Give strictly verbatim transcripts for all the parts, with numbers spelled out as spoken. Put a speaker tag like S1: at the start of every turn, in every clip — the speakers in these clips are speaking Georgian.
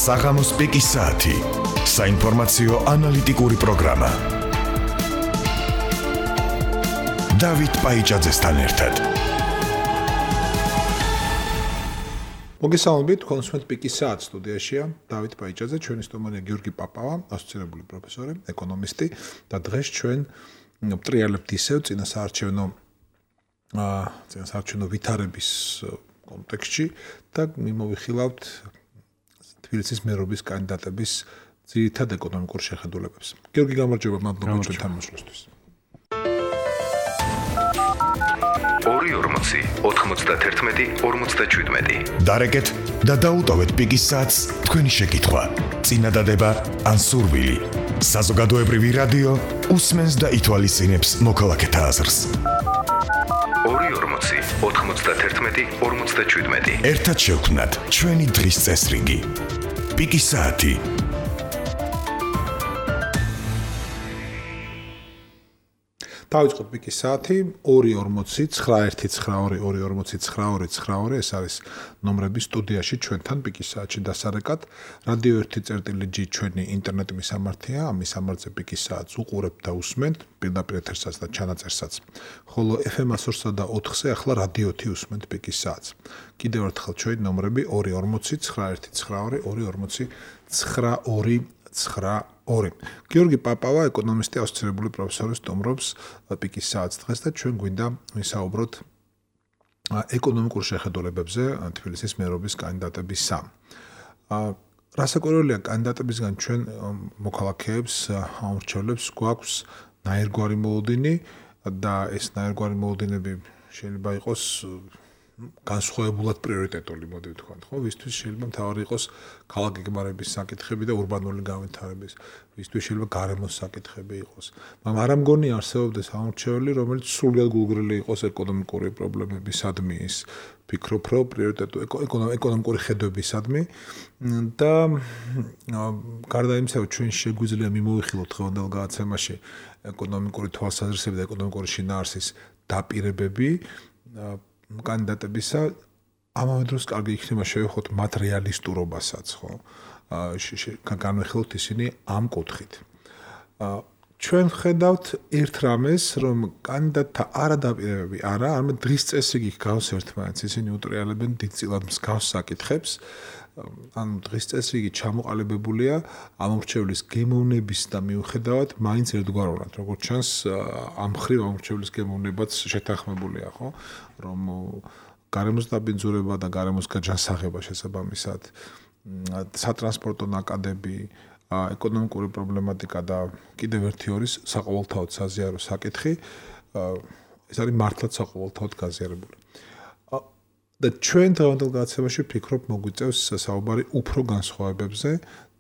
S1: საღამოს პიკის საათი. საინფორმაციო ანალიტიკური პროგრამა. დავით პაიჭაძესთან ერთად.
S2: მოგესალმებით, კონსუმენტ პიკის საათი სტუდიაშია დავით პაიჭაძე, ჩვენი სტუმარია გიორგი პაპავა, ასოცირებული პროფესორი, ეკონომისტი და დღეს ჩვენ ვტრიალებთ ისევ წინასაარჩევნო აა წინასაარჩევნო ვითარების კონტექსტში და მიმოვიხილავთ თბილისის მერობის კანდიდატების ძირითად ეკონომიკურ შეხედულებებს. გიორგი, გამარჯობა, მადლობა ჩვენთან მოსვლისთვის.
S3: ორი ორმოცი ოთხმოცდაათი ორმოცდაშვიდმეტი.
S1: დარეკეთ და დაუტოვეთ პიკის საათს თქვენი შეკითხვა, წინადადება ან სურვილი. საზოგადოებრივი რადიო უსმენს და ითვალისწინებს მოქალაქეთა აზრს.
S3: ორი ორმოცი ოთხმოცდაათი ორმოცდაშვიდმეტი.
S1: ერთად შევქმნათ ჩვენი დღის წესრიგი. პიკის საათი.
S2: დავიწყოთ პიკის საათი ორი ორმოცი ცხრა ერთი ცხრა ორი ორი ორმოცი ცხრა ორი ცხრა ორი. ეს არის ნომრები სტუდიაში ჩვენთან პიკის საათში დასარეკად. რადიო ერთი წერტილი ჯი ჩვენი ინტერნეტ მისამართია. ამ მისამართზე პიკის საათს უყურებთ და უსმენთ პირდაპირ ეთერსაც და ჩანაწერსაც. ხოლო ეფ ემ one oh three point four-ზე ახლა რადიო ერთი უსმენთ პიკის საათს. კიდევ ერთხელ ჩვენი ნომრები ორი ორმოცი ცხრა ერთი ცხრა ორი ორი ორმოცი ცხრა ორი ცხრა ორი. გიორგი პაპავა, ეკონომისტი, ასოცირებული პროფესორი, სტუმრობს პიკის საათს დღეს და ჩვენ გვინდა ვისაუბროთ ეკონომიკურ შეხედულებებზე თბილისის მერობის კანდიდატებისა. რასაკვირველია, კანდიდატებისგან ჩვენ მოქალაქეებს, ამორჩევლებს გვაქვს ნაირგვარი მოლოდინი და ეს ნაირგვარი მოლოდინები შეიძლება იყოს განსხვავებულად პრიორიტეტული, მოდი ვთქვათ, ხო? ვისთვის შეიძლება მთავარი იყოს ქალაქ გეგმარების საკითხები და ურბანული განვითარების, ვისთვის შეიძლება გარემოს საკითხები იყოს. მაგრამ არ ამგონი არსებობდეს ამორჩეველი, რომელიც სრულად გულგრილი იყოს ეკონომიკური პრობლემებისადმი, ის ფიქრობ, რომ პრიორიტეტული ეკონომიკური ხედვებისადმი და გარდა იმისა, რომ ჩვენ შეგვიძლია მიმოვიხილოთ დღევანდელ გადაცემაში ეკონომიკური თვალსაზრისები და ეკონომიკური შინაარსის დაპირებები კანდიდატებისა, ამავე დროს კარგი იქნება შევეხოთ მათ რეალისტურობასაც, ხო? განვიხილოთ ისინი ამ კუთხით. ჩვენ ხედავთ ერთ რამეს, რომ კანდიდატთა არადაპირებები არა, არამედ დღის წესრიგი გავს ერთმანეთს, ისინი უტრიალებენ დიდწილად მსგავს საკითხებს. ანუ დღის წესრიგი ჩამოყალიბებულია ამორჩევლის გემოვნების და მიუხედავად მაინც ერთგვარულად, როგორც ჩანს, ამ მხრივ ამორჩევლის გემოვნებაც შეთანხმებულია, ხო? რომ გარემოს დაბინძურება და გარემოს გაჯანსაღება შესაბამისად, სატრანსპორტო ნაკადები, ეკონომიკური პრობლემატიკა და კიდევ ერთი არის საყოველთაოდ საზიარო საკითხი, ეს არის მართლაც საყოველთაოდ გაზიარებული. და ჩვენ დღევანდელ გადაცემაში ვფიქრობ მოგვიწევს საუბარი უფრო განსხვავებებზე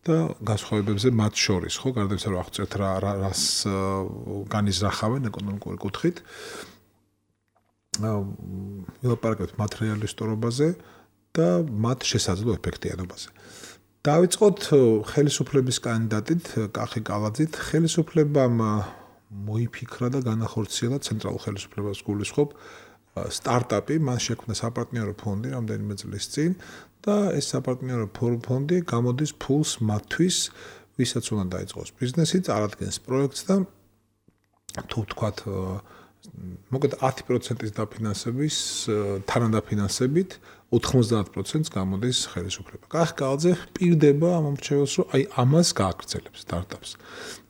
S2: და განსხვავებებზე მათ შორის, ხო, გარდა იმისა, რომ აღწერთ რა რას განიზრახავენ ეკონომიკური კუთხით. ვილაპარაკებთ მათ რეალისტურობაზე და მათ შესაძლო ეფექტიანობაზე. დავიწყოთ ხელისუფლების კანდიდატით, კახი კალაძით. ხელისუფლებამ მოიფიქრა და განახორციელა ცენტრალურ ხელისუფლებას გულისხმობ სტარტაპი, მან შექმნა საპარტნიორო ფონდი რამდენიმე წლის წინ და ეს საპარტნიორო ფონდი გამოდის ფულს მათთვის, ვისაც უნდა დაიწყოს ბიზნესი, წარადგენს პროექტს და თუ ვთქვათ, მოკლედ ათი პროცენტის დაფინანსების თანადაფინანსებით ოთხმოცდაათ პროცენტს გამოდის ხელისუფლება. კახი კალაძე პირდება ამ ამორჩეველს, რომ აი ამას გააგრძელებს სტარტაპს.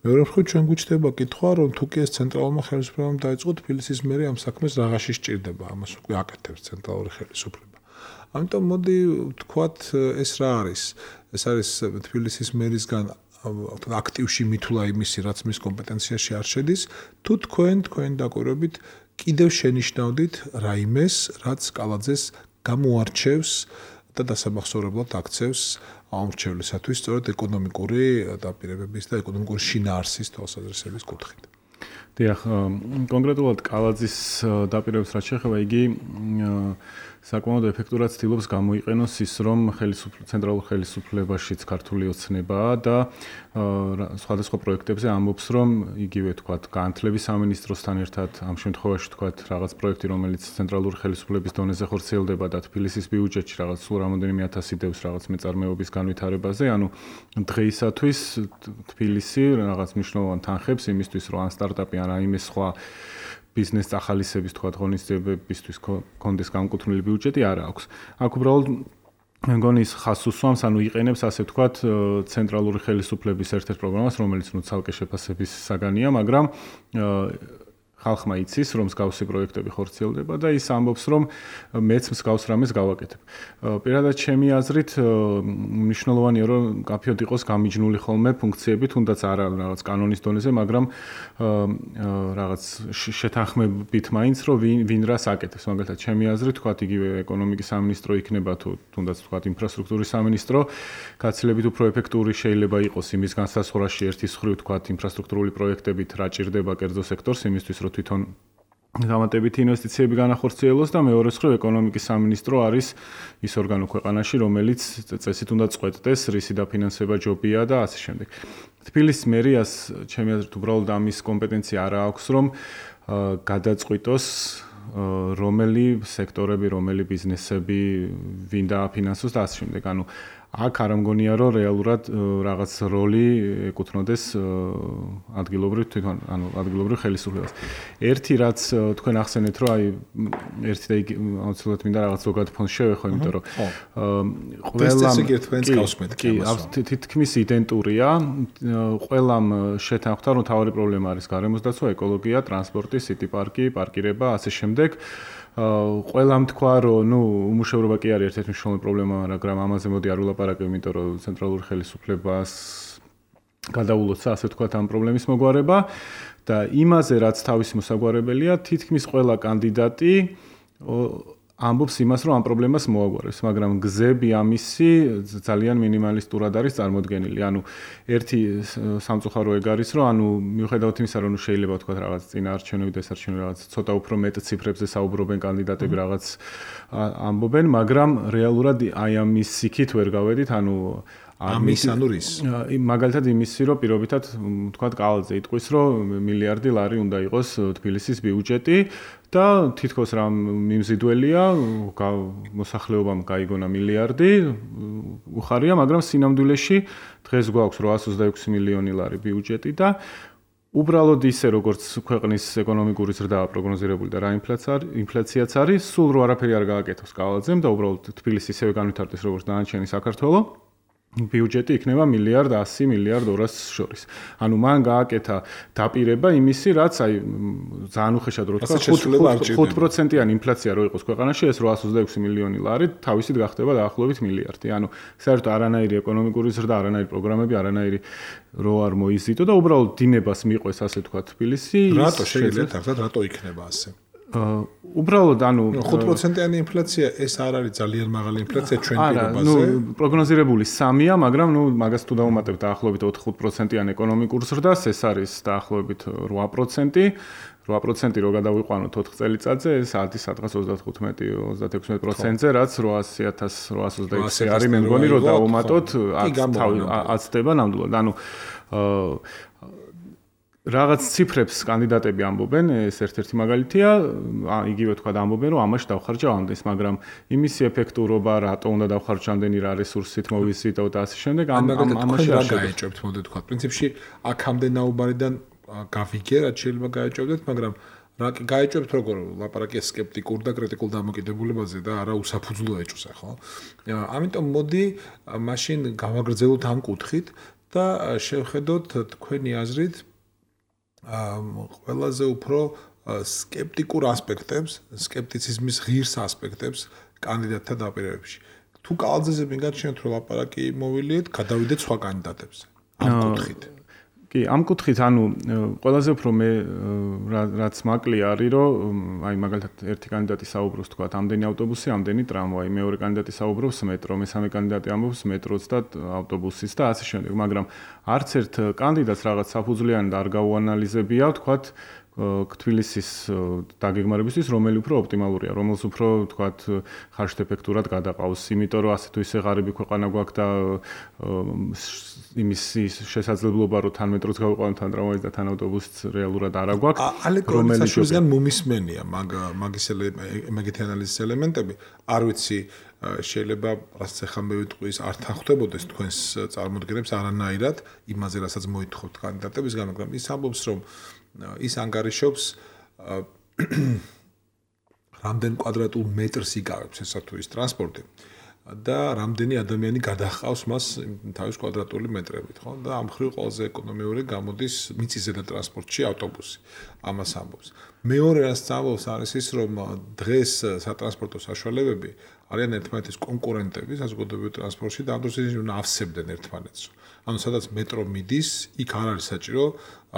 S2: მეორე მხრივ ჩვენ გვიჩნდება კითხვა, რომ თუ კი ეს ცენტრალურმა ხელისუფლებამ დაიწყო თბილისის მერი ამ საქმეს რაღაცში სჭირდება, ამას უკვე აკეთებს ცენტრალური ხელისუფლება. ამიტომ მოდი ვთქვათ, ეს რა არის? ეს არის თბილისის მერისგან აქტივში მითვლა იმისი, რაც მის კომპეტენციაში არ შედის, თუ თქვენ თქვენი დაკვირვებით კიდევ შენიშნავდით რაიმეს, რაც კალაძეს გამოარჩევს და დასამახსოვრებლად აქცევს ამორჩევლისათვის სწორედ ეკონომიკური დაპირებების და ეკონომიკური შინაარსის თვალსაზრისების კუთხით.
S4: დიახ, კონკრეტულად კალაძის დაპირებებს რაც შეეხება, იგი საკმაოდ ეფექტურად ცდილობს გამოიყენოს ის, რომ ცენტრალურ ხელისუფლებაშიც ქართული ოცნებაა და სხვადასხვა პროექტებზე ამბობს, რომ იგივე თქვათ განათლების სამინისტროსთან ერთად ამ შემთხვევაში თქვათ რაღაც პროექტი, რომელიც ცენტრალური ხელისუფლების დონეზე ხორციელდება და თბილისის ბიუჯეტში რაღაც სულ რამოდენიმე ათასი დევს რაღაც მეწარმეობის განვითარებაზე, ანუ დღეისათვის თბილისი რაღაც მნიშვნელოვან თანხებს იმისთვის, რომ ან სტარტაპი ან რაიმე სხვა ბიზნეს წახალისების თქვათ ღონისძიებებისთვის კონდეს განკუთვნილი ბიუჯეტი არ აქვს. აქ უბრალოდ მე მგონი ის ხაზს უსვამს, ანუ იყენებს ასე ვთქვათ ცენტრალური ხელისუფლების ერთ-ერთ პროგრამას, რომელიც ნუ ცალკე შეფასების საგანია, მაგრამ ხალხმა იცის, რომ მსგავსი პროექტები ხორციელდება და ის ამბობს, რომ მეც მსგავს რამეს გავაკეთებ. პირადად ჩემი აზრით მნიშვნელოვანია, რომ კაფეოდ იყოს გამიჯნული ხოლმე ფუნქციები, თუნდაც არა რაღაც კანონის დონეზე, მაგრამ რაღაც შეთანხმებით მაინც, რომ ვინ ვინ რას აკეთებს. მაგალითად, ჩემი აზრით, თქვათ იგივე ეკონომიკის სამინისტრო იქნება თუ თუნდაც თქვათ ინფრასტრუქტურის სამინისტრო, გაცილებით უფრო ეფექტური შეიძლება იყოს იმის განსაზღვრაში ერთის მხრივ თქვათ ინფრასტრუქტურული პროექტებით რა ჭირდება კერძო სექტორს, იმისთვის რომ თვითონ გამატებითი ინვესტიციები განახორციელოს და მეორეს მხრივ ეკონომიკის სამინისტრო არის ის ორგანო ქვეყანაში, რომელიც წესით უნდა წყვეტდეს, რისი დაფინანსება ჯობია და ასე შემდეგ. თბილისის მერიას ჩემი აზრით უბრალოდ ამის კომპეტენცია არ აქვს, რომ გადაწყვიტოს რომელი სექტორები, რომელი ბიზნესები ვინ დააფინანსოს და ასე შემდეგ. ანუ აქ არ მგონია, რომ რეალურად რაღაც როლი ეკუთვნოდეს ადგილობრივ თვითონ, ანუ ადგილობრივ ხელისუფლებას. ერთი რაც თქვენ ახსენეთ, რომ აი ერთი და იგი აუცილებლად მინდა რაღაც ზოგად ფონს შევეხო, იმიტომ რომ ყველამ კი, თითქმის იდენტურია, ყველამ შეთანხმდა, რომ თავი პრობლემა არის გარემოსდაცვა, ეკოლოგია, ტრანსპორტი, სიტი პარკი, პარკირება, ასე შემდეგ. ყველამ თქვა, რომ ნუ უმუშევრობა კი არის ერთ-ერთი მნიშვნელოვანი პრობლემა, მაგრამ ამაზე მოდი არ ვილაპარაკებ, იმიტომ რომ ცენტრალური ხელისუფლებას გადაულოცა, ასე ვთქვათ, ამ პრობლემის მოგვარება და იმაზე, რაც თავისი მოსაგვარებელია, თითქმის ყველა კანდიდატი ამბობს იმას, რომ ამ პრობლემას მოაგვარებს, მაგრამ გზები ამისი ძალიან მინიმალისტურად არის წარმოდგენილი. ანუ ერთი სამწუხარო ეგ არის, რომ ანუ მიუხედავად იმისა, რომ შეიძლება ვთქვათ რაღაც წინაარჩევნები და ესარჩევნები რაღაც ცოტა უფრო მეტ ციფრებზე საუბრობენ კანდიდატები რაღაც ამბობენ, მაგრამ რეალურად აი ამის იქით ვერ გავედით, ანუ
S2: ამის ანუ რის
S4: მაგალითად იმისი, რომ პირობითად ვთქვათ კალაძე იტყვის, რომ მილიარდი ლარი უნდა იყოს თბილისის ბიუჯეტი და თითქოს რა მიმზიდველია, მოსახლეობამ გაიგონა მილიარდი, უხარია, მაგრამ სინამდვილეში დღეს გვაქვს რვაას ოცდაექვსი მილიონი ლარი ბიუჯეტი და უბრალოდ ისე როგორც ქვეყნის ეკონომიკური ზრდა პროგნოზირებული და რა ინფლაციაც არის, სულ რო არაფერი არ გააკეთოს კალაძემ და უბრალოდ თბილისი ისევე განვითარდეს როგორც დანარჩენი საქართველო. ბიუჯეტი იქნება მილიარდ ასი მილიარდ ორას შორის. ანუ მან გააკეთა დაპირება იმისი, რაც აი ძალიან უხეშად რო თქვა ხუთ პროცენტიანი ინფლაცია რო იყოს ქვეყანაში, ეს რვაას ოცდაექვსი მილიონი ლარი თავისით გახდება დაახლოებით მილიარდი. ანუ საერთოდ არანაირი ეკონომიკური ზრდა, არანაირი პროგრამები, არანაირი რო არ მოიზიდო და უბრალოდ დინებას მიყვეს, ასე თქვა თბილისი.
S2: რატო შეიძლება ახლა რატო იქნება ასე?
S4: უბრალოდ ანუ
S2: ხუთ პროცენტიანი ინფლაცია ეს არ არის ძალიან მაღალი ინფლაცია ჩვენ პირობაზე.
S4: არა, ნუ პროგნოზირებული სამია, მაგრამ ნუ მაგას თუ დავუმატებთ დაახლოებით ოთხ პროცენტიან ეკონომიკურ ზრდას, ეს არის დაახლოებით რვა პროცენტი. რვა პროცენტი რო გადავიყვანოთ ოთხ წელიწადზე, ეს ათი სადღაც ოცდათხუთმეტი ოცდაექვსი პროცენტზე, რაც რვაასი ათას რვაას ოცდაექვსი არის, მე მგონი რომ დავუმატოთ აცდება ნამდვილად. ანუ რაღაც ციფრებს კანდიდატები ამბობენ, ეს ერთ-ერთი მაგალითია, იგივე თქვა ამბობენ, რომ ამაში დავხარჯა ამდენს, მაგრამ იმისი ეფექტურობა, რატო უნდა დავხარჯო ამდენი რა რესურსით მოვიზიდო და ასე შემდეგ, ამ ამაში
S2: რა გაეჭვებთ, მოდი თქვა. პრინციპში აქამდე ნაუბარიდან გავიგე, რაც შეიძლება გაეჭვებდეთ, მაგრამ რა გაეჭვებთ როგორ ლაპარაკია სკეპტიკურ და კრიტიკულ დამოკიდებულებაზე და არა უსაფუძვლო ეჭვზე, ხო? ამიტომ მოდი მაშინ გავაგრძელოთ ამ კუთხით და შევხედოთ თქვენი აზრით ყველაზე უფრო სკეპტიკურ ასპექტებს, სკეპტიციზმის ღირს ასპექტებს კანდიდატთა დაპირებებში. თუ კალაძეზე მიგაჩნიათ რომ ლაპარაკი მოვილიეთ, გადავიდეთ სხვა კანდიდატებზე. ამ კუთხით.
S4: კი, ამ კუთხით, ანუ ყველაზე უფრო მე რაც მაკლი არის, რომ აი მაგალითად ერთი კანდიდატი საუბრობს თქვა ამდენი ავტობუსი, ამდენი ტრამვაი, მეორე კანდიდატი საუბრობს მეტრო, მესამე კანდიდატი ამბობს მეტროც და ავტობუსის და ასე შემდეგ, მაგრამ არც ერთ კანდიდატს რაღაც საფუძვლიანი და არ გაუანალიზებია, თქვა თბილისის დაგეგმარებისთვის, რომელი უფრო ოპტიმალურია, რომელს უფრო თქვათ ხარშთეფექტურად გადაყავს, იმიტომ რომ ასე თუ ისე ღარიბი ქვეყანა გვაქვს და იმის შესაძლებლობა რომ თან მეტროც გავიყვანოთ, თან ტრამვაის და თან ავტობუსიც რეალურად არ აგვაქვს,
S2: რომელიც შეიძლება მომისმენია მაგ მაგის მაგითი ანალიზის ელემენტები, არ ვიცი შეიძლება რაც ახლა მე ვიტყვი ის არ თანხმდებოდეს თქვენს წარმოდგენებს არანაირად იმაზე რასაც მოითხოვთ კანდიდატებისგან, მაგრამ ის ამბობს რომ ის ანგარიშობს რამდენ კვადრატულ მეტრს იკავებს ესა თუ ის ტრანსპორტი და რამდენი ადამიანი გადაჰყავს მას თავის კვადრატული მეტრებით, ხო? და ამ ხრივ ყველაზე ეკონომიური გამოდის მიწისზედა ტრანსპორტში ავტობუსი. ამას ამბობს. მეორე რაც ამბობს არის ის, რომ დღეს სატრანსპორტო საშუალებები არიან ერთმანეთის კონკურენტები საზოგადოებრივ ტრანსპორტში და ამ დროს ისინი ავსებდნენ ერთმანეთს. ანუ სადაც მეტრო მიდის, იქ არ არის საჭირო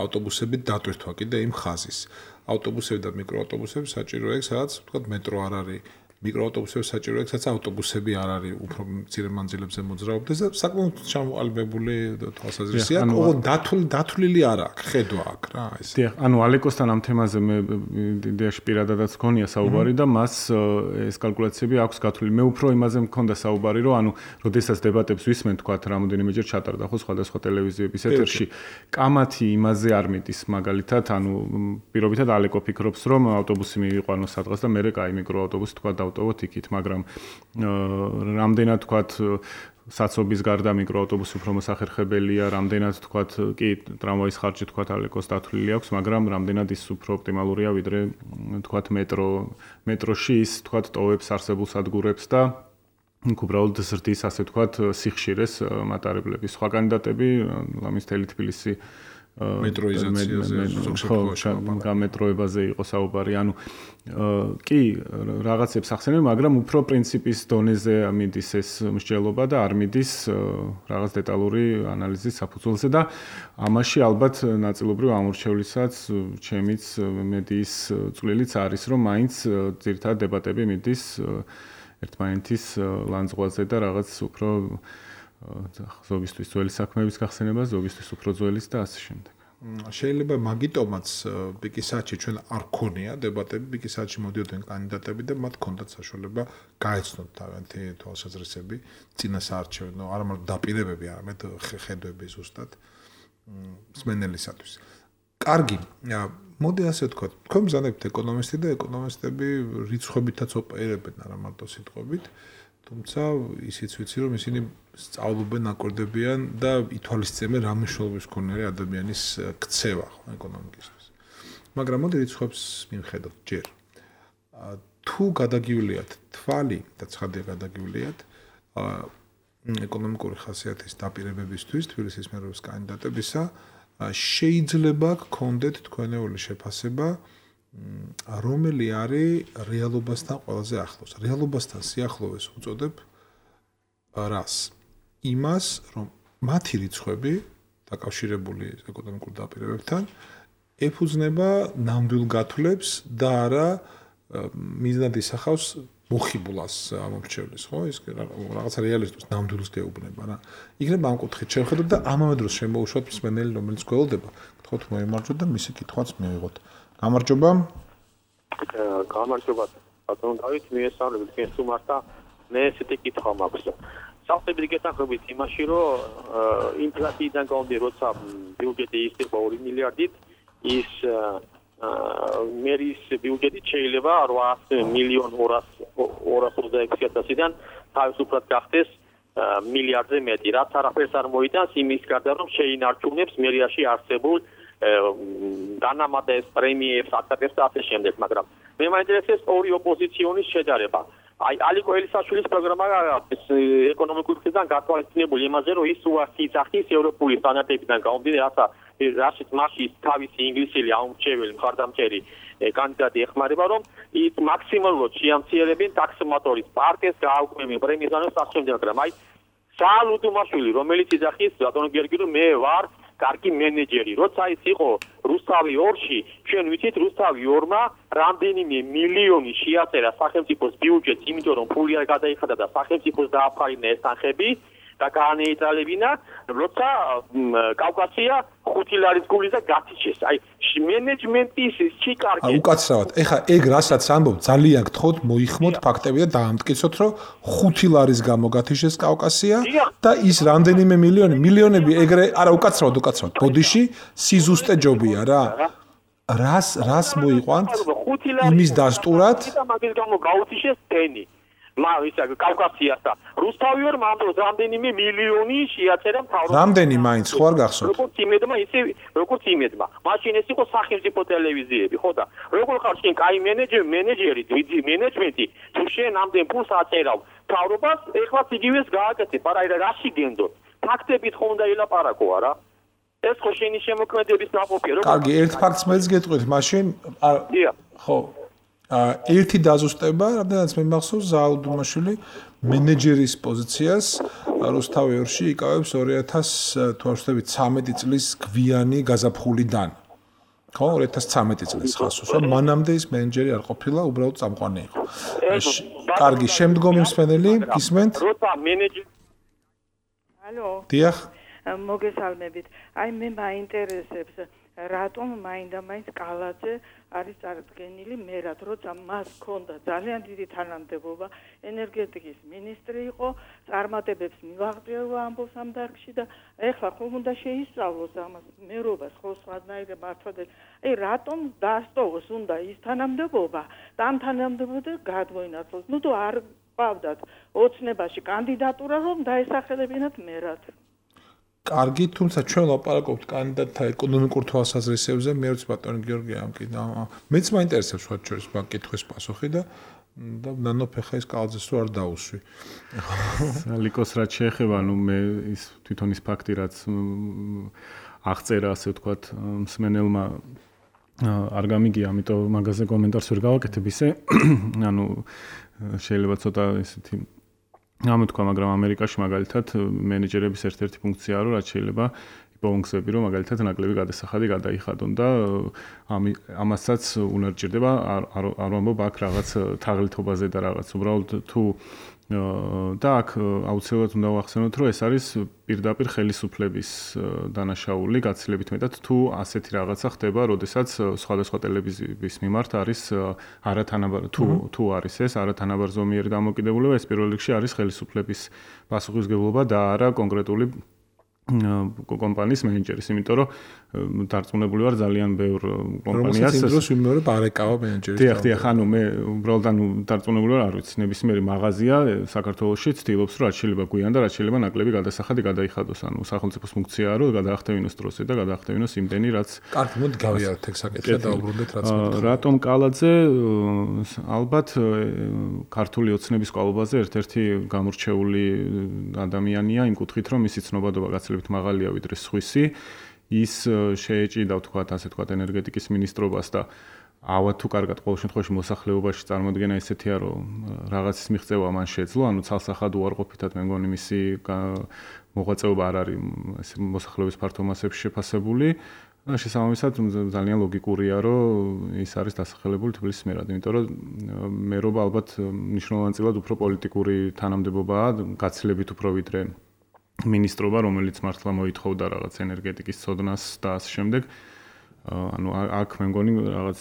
S2: ავტობუსებით დატვირთვა კიდე იმ ხაზის. ავტობუსები და მიკროავტობუსები საჭიროა იქ, სადაც თქვა მეტრო არ არის. მიკროავტობუსები საჭიროა იქ, სადაც ავტობუსები არ არის უფრო მცირე მანძილებზე მოძრაობდეს და საკმაოდ ჩამოყალიბებული თვალსაზრისია. ოღონდ დათვლილი დათვლილი არ აქვს, ხედვა აქვს რა ეს.
S4: დიახ, ანუ ალეკოსთან ამ თემაზე მე იდეაში პირადადაც გქონია საუბარი და მას ეს კალკულაციები აქვს გათვლილი. მე უფრო იმაზე მქონდა საუბარი, რომ ანუ როდესაც დებატებს ვისმენ, თქვათ, რამოდენიმეჯერ ჩატარდა ხო სხვადასხვა ტელევიზიების ეთერში, კამათი იმაზე არ მიდის მაგალითად, ანუ პირობითად ალეკო ფიქრობს, რომ ავტობუსი მივიყვანოს სადღაც და მერე კაი მიკროავტობუსი თქვა ავტობოთ იქით, მაგრამ რამდენად თქვათ საცობის გარდა მიკროავტობუსი უფრო მოსახერხებელია, რამდენად თქვათ კი ტრამვაის ხარჯი თქვათ ალეკოს დათვლილი აქვს, მაგრამ რამდენად ის უფრო ოპტიმალურია ვიდრე თქვათ მეტრო მეტროში ის თქვათ ტოვებს არსებულ სადგურებს და უბრალოდ ზრდის ასე თქვათ სიხშირეს მატარებლების. სხვა კანდიდატები ლამის თელი თბილისი
S2: მეტროიზაციაზე
S4: გამეტროებაზე იყო საუბარი. ანუ კი რაღაცებს ახსენებ, მაგრამ უფრო პრინციპის დონეზე მიდის ეს მსჯელობა და არ მიდის რაღაც დეტალური ანალიზის საფუძველზე და ამაში ალბათ ნაწილობრივ ამორჩევლიცაც ჩემიც მედიის წვლილიც არის, რომ მაინც ძირითადად დებატები მიდის ერთმანეთის ლანძღვაზე და რაღაც უფრო ზოგისთვის ძველი საქმეების გახსენება, ზოგისთვის უფრო ძველის და ასე შემდეგ.
S2: შეიძლება მაგიტომაც პიკისაჩი ჩვენ არ ქონია დებატები, პიკისაჩი მოდიოდნენ კანდიდატები და მათ ჰქონდათ საშუალება გაეცნოთ თავიანთი თვალსაზრისები, წინა საარჩევნო, არა მარტო დაპირებები, არამედ ხედვები ზუსტად მსმენელისათვის. კარგი, მოდი ასე ვთქვათ, თქვენ ბრძანებთ ეკონომისტი და ეკონომისტები რიცხვებითაც ოპერირებენ, არა მარტო სიტყვებით. თუმცა ისიც ვიცი რომ ისინი სწავლობენ, აკვირდებიან და ითვალისწინებენ რა მნიშვნელობის ქონია ადამიანის ქცევა ხო ეკონომიკისთვის. მაგრამ მოდი რიცხვებს მივხედოთ ჯერ. თუ გადაგიuliათ თვალი და ცხადია გადაგიuliათ ეკონომიკური ხასიათის დაპირებებისთვის თბილისის მერობის კანდიდატებისა შეიძლება გქონდეთ თქვენეული შეფასება რომელი არის რეალობასთან ყველაზე ახლოს. რეალობასთან სიახლოვეს უწოდებ რას? იმას, რომ მათი რიცხვები დაკავშირებული ეკონომიკურ დაპირებებთან ეფუძნება ნამდვილ გათვლებს და არა მიზნად ისახავს მოხიბლას ამორჩევლის, ხო? ის რაღაცა რეალისტურს ნამდვილს გეუბნება რა. იქნება ამ კუთხით შევხედოთ და ამავე დროს შემოუშვათ მსმენელი, რომელიც გველდება, გთხოვთ მოიმარჯვოთ და მისი კითხვაც მივიღოთ. გამარჯობა.
S5: გამარჯობა. ბატონო დავით, მიესალმებით თქვენ სტუმართა. მე ესეთი კითხვა მაქვს. საფრთხებით გეთანხმებით იმაში, რომ ინფლაციიდან გამომდინარე, როცა ბიუჯეტი ისება ორი მილიარდით, ის მერის ბიუჯეტი შეიძლება რვაასი მილიონ ორას ოცდაექვსი ათასიდან თავისუფლად გახდეს მილიარდზე მეტი. რაც არაფერს არ მოიტანს იმის გარდა, რომ შეინარჩუნებს მერიაში არსებულ განამატებს პრემიებს, აქტებს და ასე შემდეგ, მაგრამ მე მაინტერესებს ორი ოპოზიციონის შედარება. აი ალიკო ელისაშვილის პროგრამა ეკონომიკური მხრიდან გათვალისწინებული იმაზე, რომ ის უარს იძახის ევროპული სტანდარტებიდან გამომდინარე, რათა რაშიც მასში თავისი ინგლისელი აუმრჩეველი მხარდამჭერი კანდიდატი ეხმარება, რომ ის მაქსიმალურად შეამცირებენ ტაქსმატორის პარკეს გააუქმებენ პრემიას და ასე შემდეგ, მაგრამ აი საალ უდუმაშვილი, რომელიც იძახის ბატონო გიორგი, რომ მე ვარ კარგი მენეჯერი, როცა ის იყო რუსთავი ორში, ჩვენ ვიცით რუსთავი ორმა რამდენიმე მილიონი შეაწერა სახელმწიფოს ბიუჯეტს, იმიტომ რომ ფული არ გადაიხადა და სახელმწიფოს დააფარინა ეს თანხები და გაანეიტრალებინა, როცა კავკასია ხუთი ლარის გული და გათიშეს. აი მენეჯმენტის ჩი კარგი.
S2: უკაცრავად. ეხა ეგ რასაც ამბობ, ძალიან გთხოვთ მოიხმოთ ფაქტები და დაამტკიცოთ, რომ ხუთი ლარის გამო გათიშეს კავკასია და ის რამდენიმე მილიონი, მილიონები ეგრე, არა უკაცრავად, უკაცრავად. ბოდიში სიზუსტე ჯობია რა. რას რას მოიყვანთ? იმის დასტურად
S5: და მაგის გამო გაუთიშეს ტენი. მაგისა კავკასიას და რუსთავიორ მანდროს რამდენიმე მილიონი შეაწერა მთავრობამ.
S2: რამდენი მაინც ხო არ გახსოვთ?
S5: როგორც იმედმა, ისე როგორც იმედმა. მაშინ ეს იყო სახელმწიფო ტელევიზიები, ხო და როგორ ხარ შენ კაი მენეჯერი, მენეჯერი, დიდი მენეჯმენტი, თუ შენ ამდენ ფულს აწერავ მთავრობას, ეხლაც იგივეს გააკეთებ, არა რა რაში გენდოთ. ფაქტებით ხო უნდა ელაპარაკო, არა? ეს ხო შენი შემოქმედების ნაყოფია,
S2: როგორ? კარგი, ერთ ფაქტს მეც გეტყვით, მაშინ ხო ერთი დაზუსტება, რამდენიც მე მახსოვს ზაალ დუმაშვილი მენეჯერის პოზიციას რუსთავიორში იკავებს ორი ათას თვრამეტი წლის გვიანი გაზაფხულიდან. ხო, ორი ათას ცხრამეტი წლის ხასოს, რომ მანამდე ის მენეჯერი არ ყოფილა, უბრალოდ წამყვანი იყო. კარგი, შემდგომი მსმენელი, გისმენთ?
S5: როცა მენეჯერი
S6: ალო.
S2: დიახ.
S6: მოგესალმებით. აი მე მაინტერესებს რატომ მაინდა-მაინც კალაძე არის წარდგენილი მერად, როცა მას ჰქონდა ძალიან დიდი თანამდებობა, ენერგეტიკის მინისტრი იყო, წარმატებებს მივაღწევა ამბობს ამ დარგში და ეხლა ხომ უნდა შეისწავლოს ამას მერობას ხო სხვანაირად მართლად. აი რატომ დაასტოვოს უნდა ის თანამდებობა და ამ თანამდებობაზე გადმოინაცვლოს. ნუ თუ არ ყავდათ ოცნებაში კანდიდატურა რომ დაესახელებინათ მერად.
S2: კარგი, თუმცა ჩვენ ლაპარაკობთ კანდიდატთა ეკონომიკურ თვალსაზრისებზე, მე ვიც ბატონი გიორგი ამ კიდე მეც მაინტერესებს სხვა შორის მაგ კითხვის პასუხი და და ნანოფეხა ის კალაძეს რო არ დაუსვი.
S4: ლიკოს რაც შეეხება, ნუ მე ის თვითონ ის ფაქტი რაც აღწერა, ასე ვთქვათ, მსმენელმა არ გამიგია, ამიტომ მაგაზე კომენტარს ვერ გავაკეთებ ისე. ანუ შეიძლება ცოტა ესეთი ამით თქვა, მაგრამ ამერიკაში მაგალითად მენეჯერების ერთ-ერთი ფუნქციაა, რომ რაც შეიძლება იპოვონგსები, რომ მაგალითად ნაკლები გადასახადი გადაიხადონ და ამასაც უნარ ჭირდება არ ვამბობ აქ რაღაც თაღლითობაზე და რაღაც უბრალოდ თუ და აქ აუცილებლად უნდა ვახსენოთ, რომ ეს არის პირდაპირ ხელისუფლების დანაშაული, გაცილებით მეტად თუ ასეთი რაღაცა ხდება, როდესაც სხვადასხვა ტელევიზიის მიმართ არის არათანაბარ თუ თუ არის ეს არათანაბარზომიერი დამოკიდებულება, ეს პირველ რიგში არის ხელისუფლების პასუხისმგებლობა და არა კონკრეტული კომპანიის მენეჯერის, იმიტომ რომ დარწმუნებული ვარ ძალიან ბევრ კომპანიას
S2: რომელსაც იმ დროს ვიმეორე პარეკავა მენეჯერის.
S4: დიახ, დიახ, ანუ მე უბრალოდ ანუ დარწმუნებული ვარ, არ ვიცი, ნებისმიერი მაღაზია საქართველოში ცდილობს, რომ რაც შეიძლება გვიან და რაც შეიძლება ნაკლები გადასახადი გადაიხადოს, ანუ სახელმწიფოს ფუნქციაა, რომ გადაახტევინოს დროზე და გადაახტევინოს იმდენი, რაც
S2: კარგი, მოდი გავიაროთ ეგ საკითხი და დაუბრუნდეთ რაც მოხდა.
S4: რატომ კალაძე ალბათ ქართული ოცნების კვალობაზე ერთ-ერთი გამორჩეული ადამიანია იმ კუთხით, რომ მისი ცნობადობა გაცილებით მაღალია ვიდრე სხვისი. ის შეეჭიდა, ვთქვათ, ასე ვთქვათ, ენერგეტიკის მინისტრობას და ავად თუ კარგად ყოველ შემთხვევაში მოსახლეობაში წარმოადგენა ესეთია, რომ რაღაცის მიღწევა მან შეძლო, ანუ ცალსახად უარყოფითად მე მგონი მისი მოღვაწეობა არ არის ეს მოსახლეობის ფართო მასებში შეფასებული. და შესაბამისად ძალიან ლოგიკურია, რომ ის არის დასახელებული თბილისის მერად, იმიტომ რომ მერობა ალბათ მნიშვნელოვანწილად უფრო პოლიტიკური თანამდებობაა, გაცილებით უფრო ვიდრე მინისტრობა, რომელიც მართლა მოითხოვდა რაღაც ენერგეტიკის ცოდნას და ამ შემდეგ. ანუ აქ მე მგონი რაღაც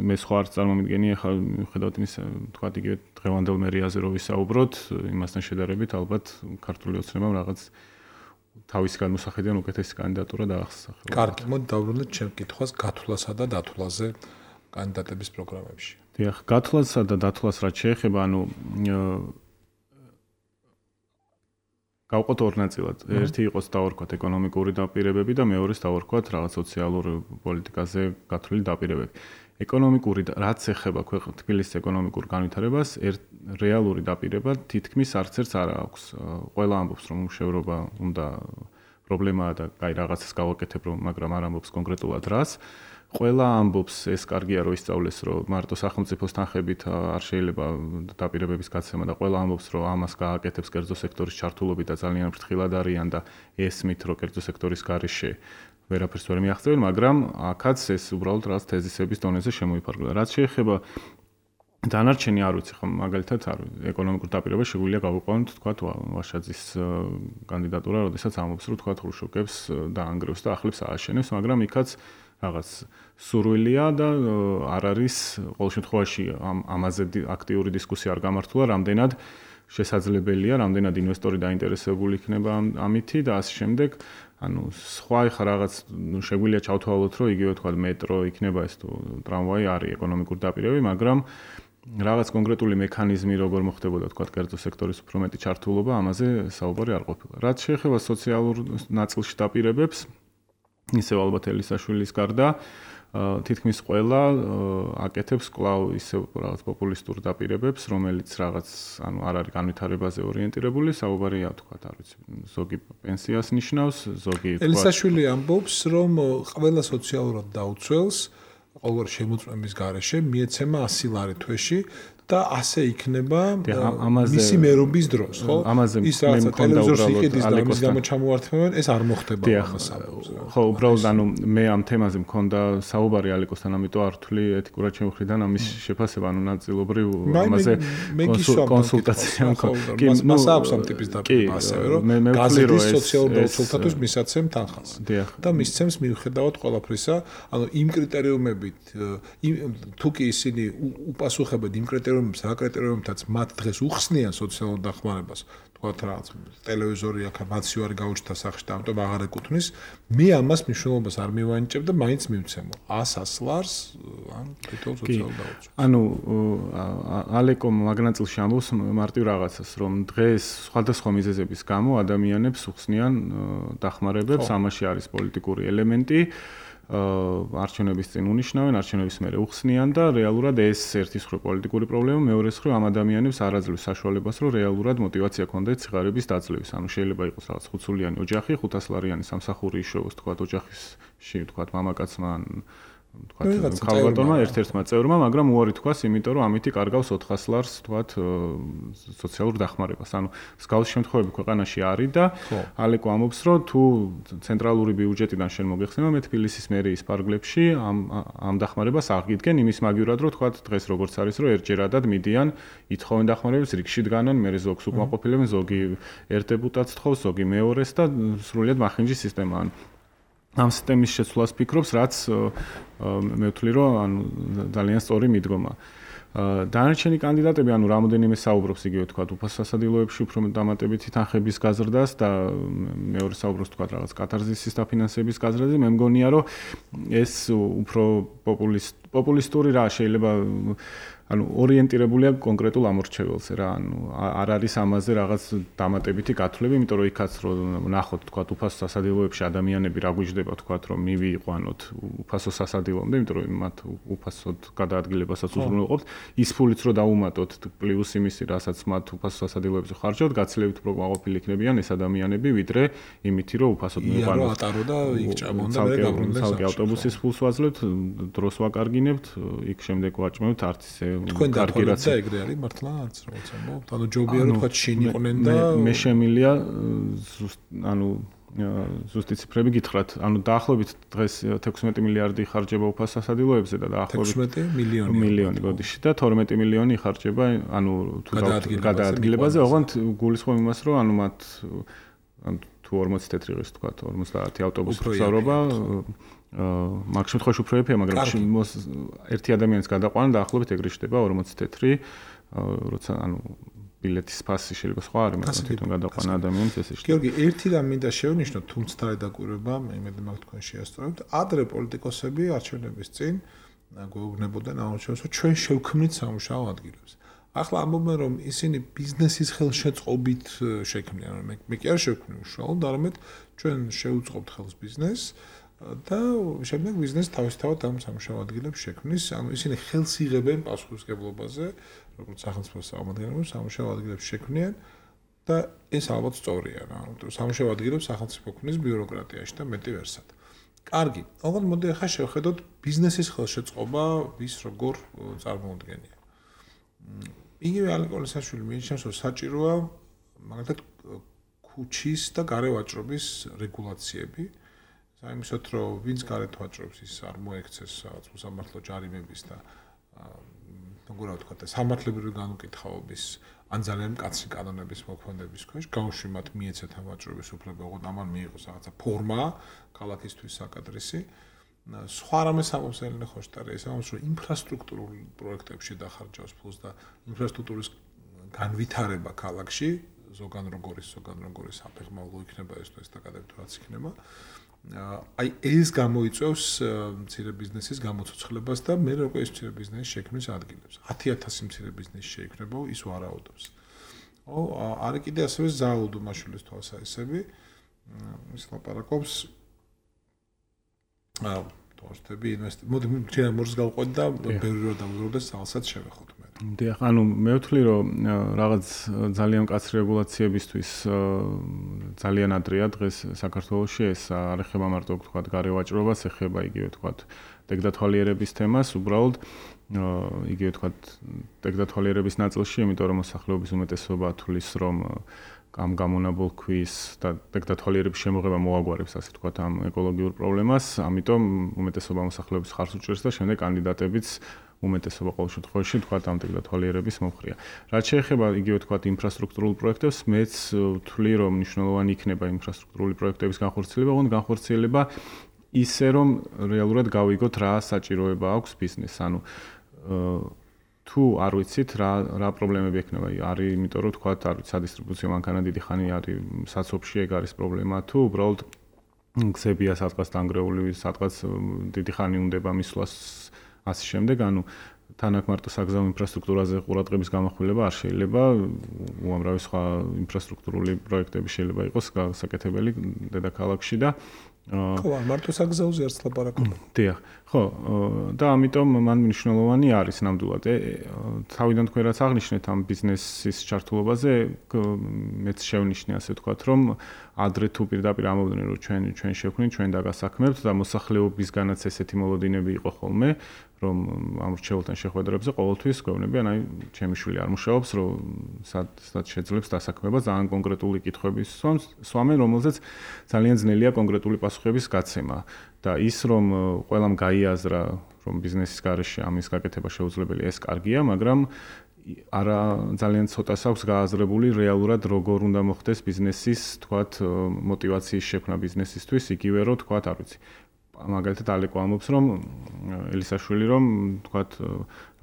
S4: მე სხვა არ წარმომიდგენი, ახლა მიუხედავად იმისა, თქვათ იგივე დღევანდელ მერიაზე რო ვისაუბროთ, იმასთან შედარებით ალბათ ქართული ოცნებამ რაღაც თავის განმოსახედიდან უკეთესი კანდიდატურა დაახსახა.
S2: კარგი, მოდი დავბრუნდეთ ჩემ კითხვას გათვლასა და დათვლაზე კანდიდატების პროგრამებში.
S4: დიახ, გათვლასა და დათვლას რაც შეეხება, ანუ გავყოთ ორ ნაწილად. ერთი იყოს დავარქვათ ეკონომიკური დაპირებები და მეორეს დავარქვათ რაღაც სოციალურ პოლიტიკაზე გათვლილი დაპირებები. ეკონომიკური რაც ეხება ქვეყნის თბილისის ეკონომიკურ განვითარებას, რეალური დაპირება თითქმის არც ერთს არ აქვს. ყველა ამბობს, რომ მშევრობა უნდა პრობლემაა და კაი რაღაცას გავაკეთებ, რომ მაგრამ არ ამბობს კონკრეტულად რას. ყველა ამბობს, ეს კარგია რომ ისწავლეს, რომ მარტო სახელმწიფოს თანხებით არ შეიძლება დაპირებების გაცემა და ყველა ამბობს, რომ ამას გააკეთებს კერძო სექტორის ჩართულობით და ძალიან ფრთხილად არიან და ესმით, რომ კერძო სექტორის გარეშე ვერაფერს ვერ მიაღწევენ, მაგრამ აქაც ეს უბრალოდ რაღაც თეზისების დონეზე შემოიფარგლა. რაც შეეხება დანარჩენი არ ვიცი ხომ მაგალითად არ ეკონომიკურ დაპირებას შეგვიძლია გავიყვანოთ თქვა ვაშაძის კანდიდატურა, როდესაც ამობს რომ თქვა ხრუშჩოვკებს დაანგრევს და ახლებს ააშენებს, მაგრამ იქაც რაღაც სურვილია და არ არის ყოველ შემთხვევაში ამაზე აქტიური დისკუსია არ გამართულა, რამდენად შესაძლებელია, რამდენად ინვესტორი დაინტერესებული იქნება ამითი და ასე შემდეგ. ანუ სხვა ხა რაღაც შეგვიძლია ჩავთვალოთ, რომ იგივე თქვა მეტრო იქნება ეს თუ ტრამვაი არის ეკონომიკურ დაპირებები, მაგრამ რაღაც კონკრეტული მექანიზმი როგორ მოხდებოდა თქვა კერძო სექტორის უფრო მეტი ჩართულობა, ამაზე საუბარი არ ყოფილა. რაც შეეხება სოციალურ ნაწილში დაპირებებს, ისევ ალბათ ელისაშვილის გარდა თითქმის ყველა აკეთებს კვლავ ისევ რაღაც პოპულისტურ დაპირებებს, რომელიც რაღაც ანუ არ არის განვითარებაზე ორიენტირებული, საუბარია თქვა, არ ვიცი, ზოგი პენსიას ნიშნავს, ზოგი თქვა
S2: ელისაშვილი ამბობს, რომ ყველა სოციალურად დაუცველს ყოველ შემოწმების გარეშე მიეცემა ასი ლარი თვეში და ასე იქნება მისი მერობის დროს, ხო? ის რაღაცა ტელევიზორს იყიდის და მის გამო ჩამოართმევენ, ეს არ მოხდება ამას.
S4: ხო, უბრალოდ ანუ მე ამ თემაზე მქონდა საუბარი ალიკოსთან, ამიტომ არ ვთვლი ეთიკურად ჩემი მხრიდან ამის შეფასება, ანუ ნაწილობრივ ამაზე კონსულტაცია მქონდა.
S2: კი, მას აქვს ამ ტიპის დაპირება ასევე, რომ გაზეთის სოციალურ დაუცველთათვის მისაცემ თანხას. და მისცემს მიუხედავად ყველაფრისა, ანუ იმ კრიტერიუმებით, თუ კი ისინი უპასუხებად იმ კრიტერიუმებით რა კრიტერიუმებითაც მათ დღეს უხსნიან სოციალურ დახმარებას, თქვათ რაღაც ტელევიზორი აქ მაცივ არ გაუჩნდა სახში და ამიტომ აღარ ეკუთვნის, მე ამას მნიშვნელობას არ მივანიჭებ და მაინც მივცემო ასას ლარს ან თვითონ სოციალურ დაუცველს.
S4: ანუ ალეკო მაგნაწილში ამბობს მარტივ რაღაცას, რომ დღეს სხვადასხვა მიზეზების გამო ადამიანებს უხსნიან დახმარებებს, ამაში არის პოლიტიკური ელემენტი. არჩევნების წინ უნიშნავენ, არჩევნების მერე უხსნიან და რეალურად ეს ერთის მხრივ პოლიტიკური პრობლემა, მეორეს მხრივ ამ ადამიანებს არ აძლევს საშუალებას, რომ რეალურად мотиваცია ქონდეთ სიღარიბის დაძლევის. ანუ შეიძლება იყოს რაღაც ხუთსულიანი ოჯახი, ხუთასლარიანი სამსახური იშოვოს, თქვა ოჯახში, თქვა მამაკაცმა თქვა ხალბატონმა ერთ-ერთმა წევრმა, მაგრამ უარი თქვას, იმიტომ რომ ამითი კარგავს ოთხას ლარს, თქვა სოციალურ დახმარებას. ანუ მსგავსი შემთხვევები ქვეყანაში არის და ალეკო ამბობს, რომ თუ ცენტრალური ბიუჯეტიდან შენ მოგეხსენა მე თბილისის მერიის პარკლებში ამ ამ დახმარებას აღიდგენ იმის მაგივრად, რომ თქვა დღეს როგორც არის, რომ ერთჯერადად მიდიან, ითხოვენ დახმარებას, რიგში დგანან, მე ზოგს უკმაყოფილებენ, ზოგი ერთ დეპუტატს თხოვს, ზოგი მეორეს და სრულიად მახინჯი სისტემაა. ამ სისტემის შეცვლას ფიქრობს, რაც მე ვთვლი, რომ ანუ ძალიან სწორი მიდგომა. დანარჩენი კანდიდატები, ანუ რამოდენიმე საუბრობს იგივე თქვა უფასო სასადილოებში უფრო დამატებითი თანხების გაზრდას და მეორე საუბრობს თქვა რაღაც კატარზისის დაფინანსების გაზრდაზე, მე მგონია, რომ ეს უფრო პოპულისტ პოპულისტური რა შეიძლება ანუ ორიენტირებულია კონკრეტულ ამორჩეველზე რა, ანუ არ არის ამაზე რაღაც დამატებითი გათვლები, იმიტომ რომ იქაც რომ ნახოთ თქვა უფასო სასადილოებში ადამიანები რა გვიждდება თქვა რომ მივიყვანოთ უფასო სასადილომდე, იმიტომ რომ მათ უფასოდ გადაადგილებასაც უზრუნველყოფთ, ის ფულიც რომ დაუმატოთ პლუს იმისი, რასაც მათ უფასო სასადილოებზე ხარჯავთ, გაცილებით უფრო კმაყოფილი იქნებიან ეს ადამიანები, ვიდრე იმითი რომ უფასოდ მივიყვანოთ.
S2: ია, ატარო და იქ ჭამონ და მე გაბრუნდნენ
S4: სამი ავტობუსის ფულს ვაძლევთ, დროს ვაკარგინებთ, იქ შემდეგ ვაჭმევთ არც ისე
S2: თქვენ დაგვრეთ და ეგრე არის მართლა არც როგორც ამბობთ. ანუ ჯობია რომ თქვა შინიყვნენ და
S4: მე შემილია ანუ ზუსტი ციფრები გითხრათ. ანუ დაახლოებით დღეს თექვსმეტი მილიარდი იხარჯება უფასო სასადილოებზე და დაახლოებით
S2: თექვსმეტი მილიონი
S4: მილიონი გოდიში და თორმეტი მილიონი იხარჯება ანუ თუ გადაადგილებაზე, ოღონდ გულისხმობ იმას, რომ ანუ მათ ანუ თუ ორმოცი თეთრი ის თქვა ორმოცდაათი ავტობუსი გზავრობა მაგ შემთხვევაში უფრო ეფია, მაგრამ ერთი ადამიანის გადაყვანა დაახლოებით ეგრე ხდება ორმოცი თეთრი, როცა ანუ ბილეთის ფასი შეიძლება სხვა არის, მაგრამ თვითონ გადაყვანა ადამიანის ესე ხდება.
S2: გიორგი, ერთი რამ მინდა შევნიშნო, თუმცა დაკვირვება, მე იმედი მაქვს თქვენ შეასწორებთ, ადრე პოლიტიკოსები არჩევნების წინ გვეუბნებოდნენ ამოჩენს, რომ ჩვენ შევქმნით სამუშაო ადგილებს. ახლა ამბობენ, რომ ისინი ბიზნესის ხელშეწყობით შექმნიან, მე მე კი არ შევქმნი უშუალოდ, არამედ ჩვენ შევუწყობთ ხელს ბიზნესს და შემდეგ ბიზნესი თავისთავად ამ სამუშაო ადგილებს შექმნის, ანუ ისინი ხელს იღებენ პასუხისმგებლობაზე, როგორც სახელმწიფოს წარმომადგენლებს სამუშაო ადგილებს შექმნიან და ეს ალბათ სწორია რა, იმიტომ რომ სამუშაო ადგილებს სახელმწიფო ქმნის ბიუროკრატიაში და მეტი ვერსად. კარგი, ოღონდ მოდი ახლა შევხედოთ ბიზნესის ხელშეწყობა ვის როგორ წარმოუდგენია. იგივე ალეკო ელისაშვილი მიიჩნევს, რომ საჭიროა მაგალითად ქუჩის და გარე ვაჭრობის რეგულაციები. საიმისოთ, რომ ვინც გარეთ ვაჭრობს, ის არ მოექცეს რაღაც უსამართლო ჯარიმების და როგორ ვთქვა, სამართლებრივი განუკითხაობის ან ძალიან მკაცრი კანონების მოქმედების ქვეშ გაუშვიმათ მიეცეთ ამ ვაჭრობის უფლება, ოღონდ ამან მიიღოს რაღაცა ფორმა ქალაქისთვის საკადრისი. სხვა რამე სამომსელნე ხოშტარი ეს ამას რომ ინფრასტრუქტურულ პროექტებში დახარჯავს ფულს და ინფრასტრუქტურის განვითარება ქალაქში ზოგან როგორი ზოგან როგორი საფეხმავლო იქნება ეს თუ ეს დაკადებით რაც იქნება აი ეს გამოიწვევს მცირე ბიზნესის გამოცოცხლებას და მე როგორ ეს მცირე ბიზნესი შექმნის ადგილებს ათი ათასი მცირე ბიზნესი შეიქმნება ის ვარაუდობს ო არის კიდე ასევე ზაუდ მაშულის თვალსაჩინო ის ლაპარაკობს აა თორშტები ინვესტი მოდი ჩვენ მორს გავყვეთ და ბევრი რო დავუბრუნდე საალსაც შევეხოთ მე.
S4: დიახ, ანუ მე ვთვლი რომ რაღაც ძალიან მკაცრი რეგულაციებისთვის ძალიან ადრეა დღეს საქართველოში ეს არ ეხება მარტო ვთქვათ გარევაჭრობას, ეხება იგივე ვთქვათ ტექდათვალიერების თემას, უბრალოდ იგივე ვთქვათ ტექდათვალიერების ნაწილში, იმიტომ რომ მოსახლეობის უმეტესობა თვლის რომ ამ გამონაბოლ ქვის და ტექდათვალიერების შემოღება მოაგვარებს ასე ვთქვათ ამ ეკოლოგიურ პრობლემას, ამიტომ უმეტესობა მოსახლეობის ხარს უჭერს და შემდეგ კანდიდატებიც უმეტესობა ყოველ შემთხვევაში ვთქვათ ამ ტექდათვალიერების მომხრეა. რაც შეეხება იგივე ვთქვათ ინფრასტრუქტურულ პროექტებს, მეც ვთვლი რომ მნიშვნელოვანი იქნება ინფრასტრუქტურული პროექტების განხორციელება, ოღონდ განხორციელება ისე რომ რეალურად გავიგოთ რა საჭიროება აქვს ბიზნესს, ანუ თუ არ ვიცით რა რა პრობლემები ექნება, არის იმიტომ რომ თქვათ არ ვიცი სადისტრიბუციო მანქანა დიდი ხანი არის საცობში ეგ არის პრობლემა თუ უბრალოდ გზებია სადღაც დანგრეული, სადღაც დიდი ხანი უნდება მისვლას ასე შემდეგ, ანუ თანაკ მარტო საგზაო ინფრასტრუქტურაზე ყურადღების გამახვილება არ შეიძლება, უამრავი სხვა ინფრასტრუქტურული პროექტები შეიძლება იყოს გასაკეთებელი დედაქალაქში და
S2: ხო, მარტო საგზაოზე არც ლაპარაკობ.
S4: დიახ, ხო, და ამიტომ მან მნიშვნელოვანი არის ნამდვილად. თავიდან თქვენ რაც აღნიშნეთ ამ ბიზნესის ჩართულობაზე, მეც შევნიშნე ასე ვთქვათ, რომ ადრე თუ პირდაპირ ამოვიდნენ რომ ჩვენ ჩვენ შევქმნით, ჩვენ დაგასაქმებთ და მოსახლეობისგანაც ესეთი მოლოდინები იყო ხოლმე, რომ ამ რჩეულთან შეხვედრებზე ყოველთვის გვეუბნებიან, აი, ჩემი შვილი არ მუშაობს, რომ სად სად შეძლებს დასაქმება ძალიან კონკრეტული კითხვების სვამენ, რომელზეც ძალიან ძნელია კონკრეტული პასუხების გაცემა. და ის რომ ყველამ გაიაზრა, რომ ბიზნესის გარეშე ამის გაკეთება შეუძლებელია, ეს კარგია, მაგრამ არა ძალიან ცოტას აქვს გააზრებული რეალურად როგორ უნდა მოხდეს ბიზნესის, თქვათ, мотиваციის შექმნა ბიზნესისთვის, იგივე რომ თქვათ, არ ვიცი. მაგალითად ალეკო ამბობს რომ ელისაშვილი რომ თქვათ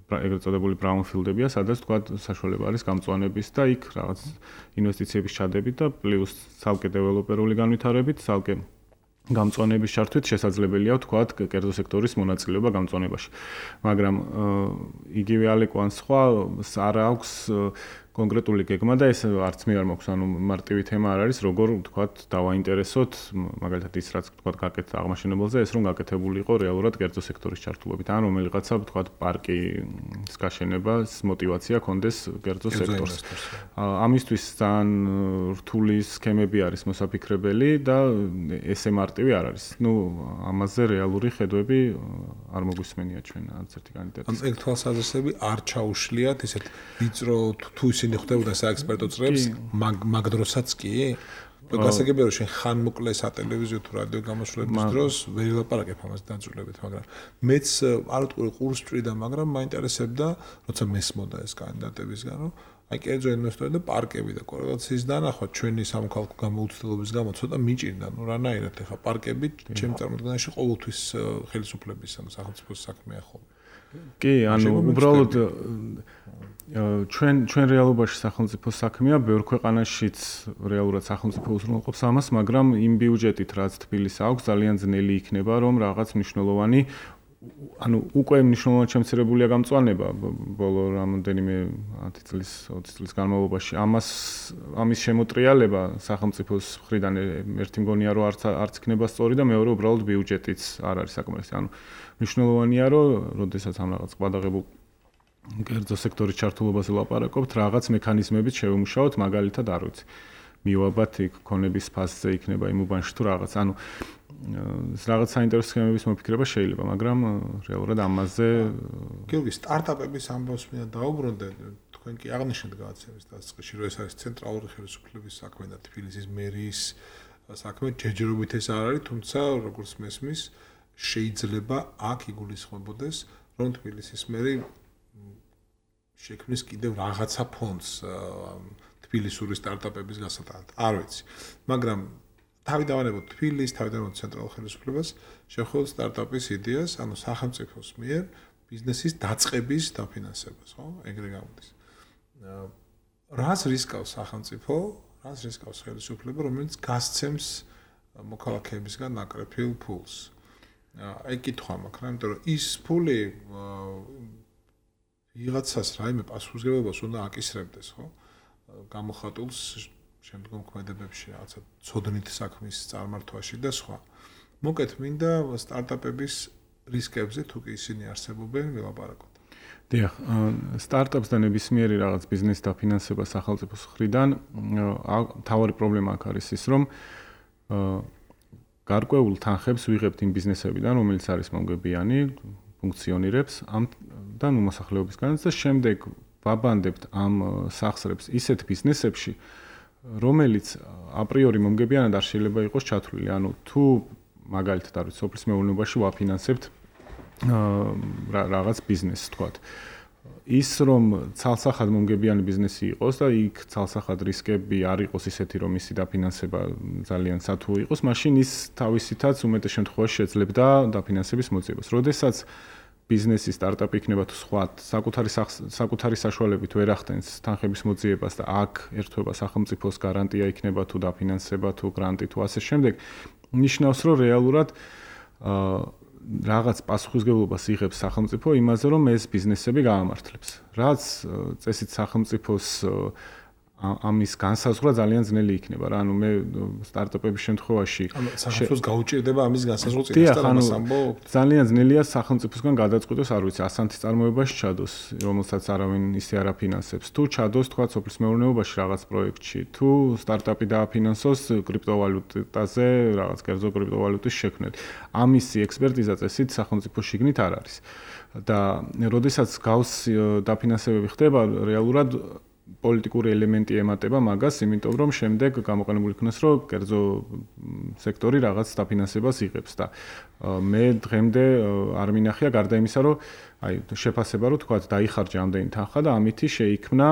S4: ეგრეთ წოდებული ბრაუნფილდებია, სადაც თქვათ საშუალება არის გამწვანების და იქ რაღაც ინვესტიციების ჩადებით და პლუს ცალკე დეველოპერული განვითარებით, ცალკე გამწვანების ჩართვით შესაძლებელია თქვათ კერძო სექტორის მონაწილეობა გამწვანებაში. მაგრამ იგივე ალეკო ან სხვა არ აქვს კონკრეტული გეგმა და ეს არც მე არ მაქვს, ანუ მარტივი თემა არ არის, როგორ ვთქვათ, დავაინტერესოთ, მაგალითად ის რაც ვთქვათ, გაკეთდა აღმაშენებელზე, ეს რომ გაკეთებული იყო რეალურად კერძო სექტორის ჩართულობით, ან რომელიღაცა ვთქვათ, პარკის გაშენებას мотиваცია კონდეს კერძო სექტორს. ამისთვის ძალიან რთული სქემები არის მოსაფიქრებელი და ესე მარტივი არ არის. ნუ ამაზე რეალური ხედვები არ მოგვისმენია ჩვენ არც ერთი კანდიდატის.
S2: ამ ეგ თვალსაზრისები არ ჩაუშლიათ ისეთ ვიწრო თუ იხდებოდა საექსპერტო წრებს, მაგ დროსაც კი? გასაგებია რომ შენ ხან მოკლე სატელევიზიო თუ რადიო გამოსვლების დროს ვერ ელაპარაკებ ამას დაძულებით, მაგრამ მეც არ ვიტყვი ყურს წვიდა, მაგრამ მაინტერესებდა, როცა მესმოდა ეს კანდიდატებისგან, რომ აი კერძო ინვესტორები და პარკები და კორელაციის დანახვა ჩვენი სამოქალაქო გამოუცდელობის გამო ცოტა მიჭირდა, ნუ რანაირად ეხა პარკები ჩემ წარმოდგენაში ყოველთვის ხელისუფლების ანუ სახელმწიფოს საქმეა ხოლმე.
S4: კი, ანუ უბრალოდ ჩვენ ჩვენ რეალობაში სახელმწიფო საქმეა, ბევრ ქვეყანაშიც რეალურად სახელმწიფო უზრუნველყოფს ამას, მაგრამ იმ ბიუჯეტით, რაც თბილისს აქვს, ძალიან ძნელი იქნება, რომ რაღაც მნიშვნელოვანი, ანუ უკვე მნიშვნელოვნად შემცირებულია გამწვანება ბოლო რამოდენიმე ათი წლის, ოცი წლის განმავლობაში. ამას ამის შემოტრიალება სახელმწიფოს მხრიდან ერთი მგონია, რომ არც არც იქნება სწორი და მეორე უბრალოდ ბიუჯეტიც არ არის საკმარისი. ანუ მნიშვნელოვანია, რომ როდესაც ამ რაღაც ყბადაღებულ კერძო სექტორის ჩართულობაზე ლაპარაკობთ, რაღაც მექანიზმებით შევიმუშაოთ, მაგალითად არ ვიცი. მივაბათ იქ ქონების ფასზე იქნება იმ უბანში თუ რაღაც, ანუ რაღაც საინტერესო სქემების მოფიქრება შეიძლება, მაგრამ რეალურად ამაზე
S2: გიორგი სტარტაპების ამბავს მინდა დაუბრუნდე, თქვენ კი აღნიშნეთ გადაცემის დასაწყისში, რომ ეს არის ცენტრალური ხელისუფლების საქმე და თბილისის მერის საქმე, ჯერჯერობით ეს არ არის, თუმცა როგორც მესმის, შეიძლება აქ იგულისხმებოდეს, რომ თბილისის მერი შექმნის კიდევ რაღაცა ფონდს თბილისური სტარტაპების გასატანად. არ ვიცი. მაგრამ თავი დავანებოთ თბილის, თავი დავანებოთ ცენტრალურ ხელისუფლებას, შევხედოთ სტარტაპის იდეას, ანუ სახელმწიფოს მიერ ბიზნესის დაწყების დაფინანსებას, ხო? ეგრე გამოდის. რას რისკავს სახელმწიფო, რას რისკავს ხელისუფლება, რომელიც გასცემს მოქალაქეებისგან ნაკრეფილ ფულს. აი კითხვა მაქვს, რა, იმიტომ რომ ის ფული ვიღაცას რაიმე პასუხისმგებლობას უნდა აკისრებდეს, ხო? გამოხატულს შემდგომ ქმედებებში რაღაცა ცოდნით საქმის წარმართვაში და სხვა. მოკეთ მინდა სტარტაპების რისკებზე თუ კი ისინი არსებობენ ვილაპარაკოთ.
S4: დიახ, სტარტაპს და ნებისმიერი რაღაც ბიზნეს დაფინანსება სახელმწიფოს მხრიდან თავარი პრობლემა აქ არის ის, რომ გარკვეულ თანხებს ვიღებთ იმ ბიზნესებიდან, რომელიც არის მომგებიანი, ფუნქციონირებს ამთან უმოსახლეობისგანაც და შემდეგ ვაბანდებთ ამ სახსრებს ისეთ ბიზნესებში, რომელიც აპრიორი მომგებიანად არ შეიძლება იყოს ჩათვლილი. ანუ თუ მაგალითად არის სოფლის მეურნეობაში ვაფინანსებთ რაღაც ბიზნესს, თქვათ. ის რომ ცალსახად მომგებიანი ბიზნესი იყოს და იქ ცალსახად რისკები არ იყოს ისეთი, რომ ისი დაფინანსება ძალიან სათუო იყოს, მაშინ ის თავისითაც უმეტეს შემთხვევაში შეძლებდა დაფინანსების მოძიებას. როდესაც ბიზნესი სტარტაპი იქნება თუ სხვა საკუთარი საკუთარი საშუალებით ვერ ახდენს თანხების მოძიებას და აქ ერთვება სახელმწიფოს გარანტია იქნება თუ დაფინანსება თუ გრანტი თუ ასე შემდეგ, ნიშნავს რომ რეალურად რაღაც პასუხისმგებლობას იღებს სახელმწიფო იმაზე, რომ ეს ბიზნესები გაამართლებს. რაც წესით სახელმწიფოს ამის განსაზღვრა ძალიან ძნელი იქნება რა. ანუ მე სტარტაპების შემთხვევაში
S2: სახელმწიფოს გაუჭირდება ამის განსაზღვრა წინასწარ ამას ამბობ.
S4: ძალიან ძნელია სახელმწიფოსგან გადაწყვიტოს, არ ვიცი, ასანთის წარმოებაში ჩადოს, რომელსაც არავინ ისე არ აფინანსებს. თუ ჩადოს, თქვა, სოფლის მეურნეობაში რაღაც პროექტში, თუ სტარტაპი დააფინანსოს კრიპტოვალუტაზე, რაღაც კერძო კრიპტოვალუტის შექმნით. ამისი ექსპერტიზა წესით სახელმწიფოს შიგნით არ არის. და როდესაც გავს დაფინანსებები ხდება, რეალურად პოლიტიკური ელემენტი ემატება მაგას, იმიტომ რომ შემდეგ გამოყენებული იქნას, რომ კერძო სექტორი რაღაც დაფინანსებას იღებს და მე დღემდე არ მინახია გარდა იმისა, რომ აი შეფასება რომ თქვა დაიხარჯა ამდენი თანხა და ამითი შეიქმნა,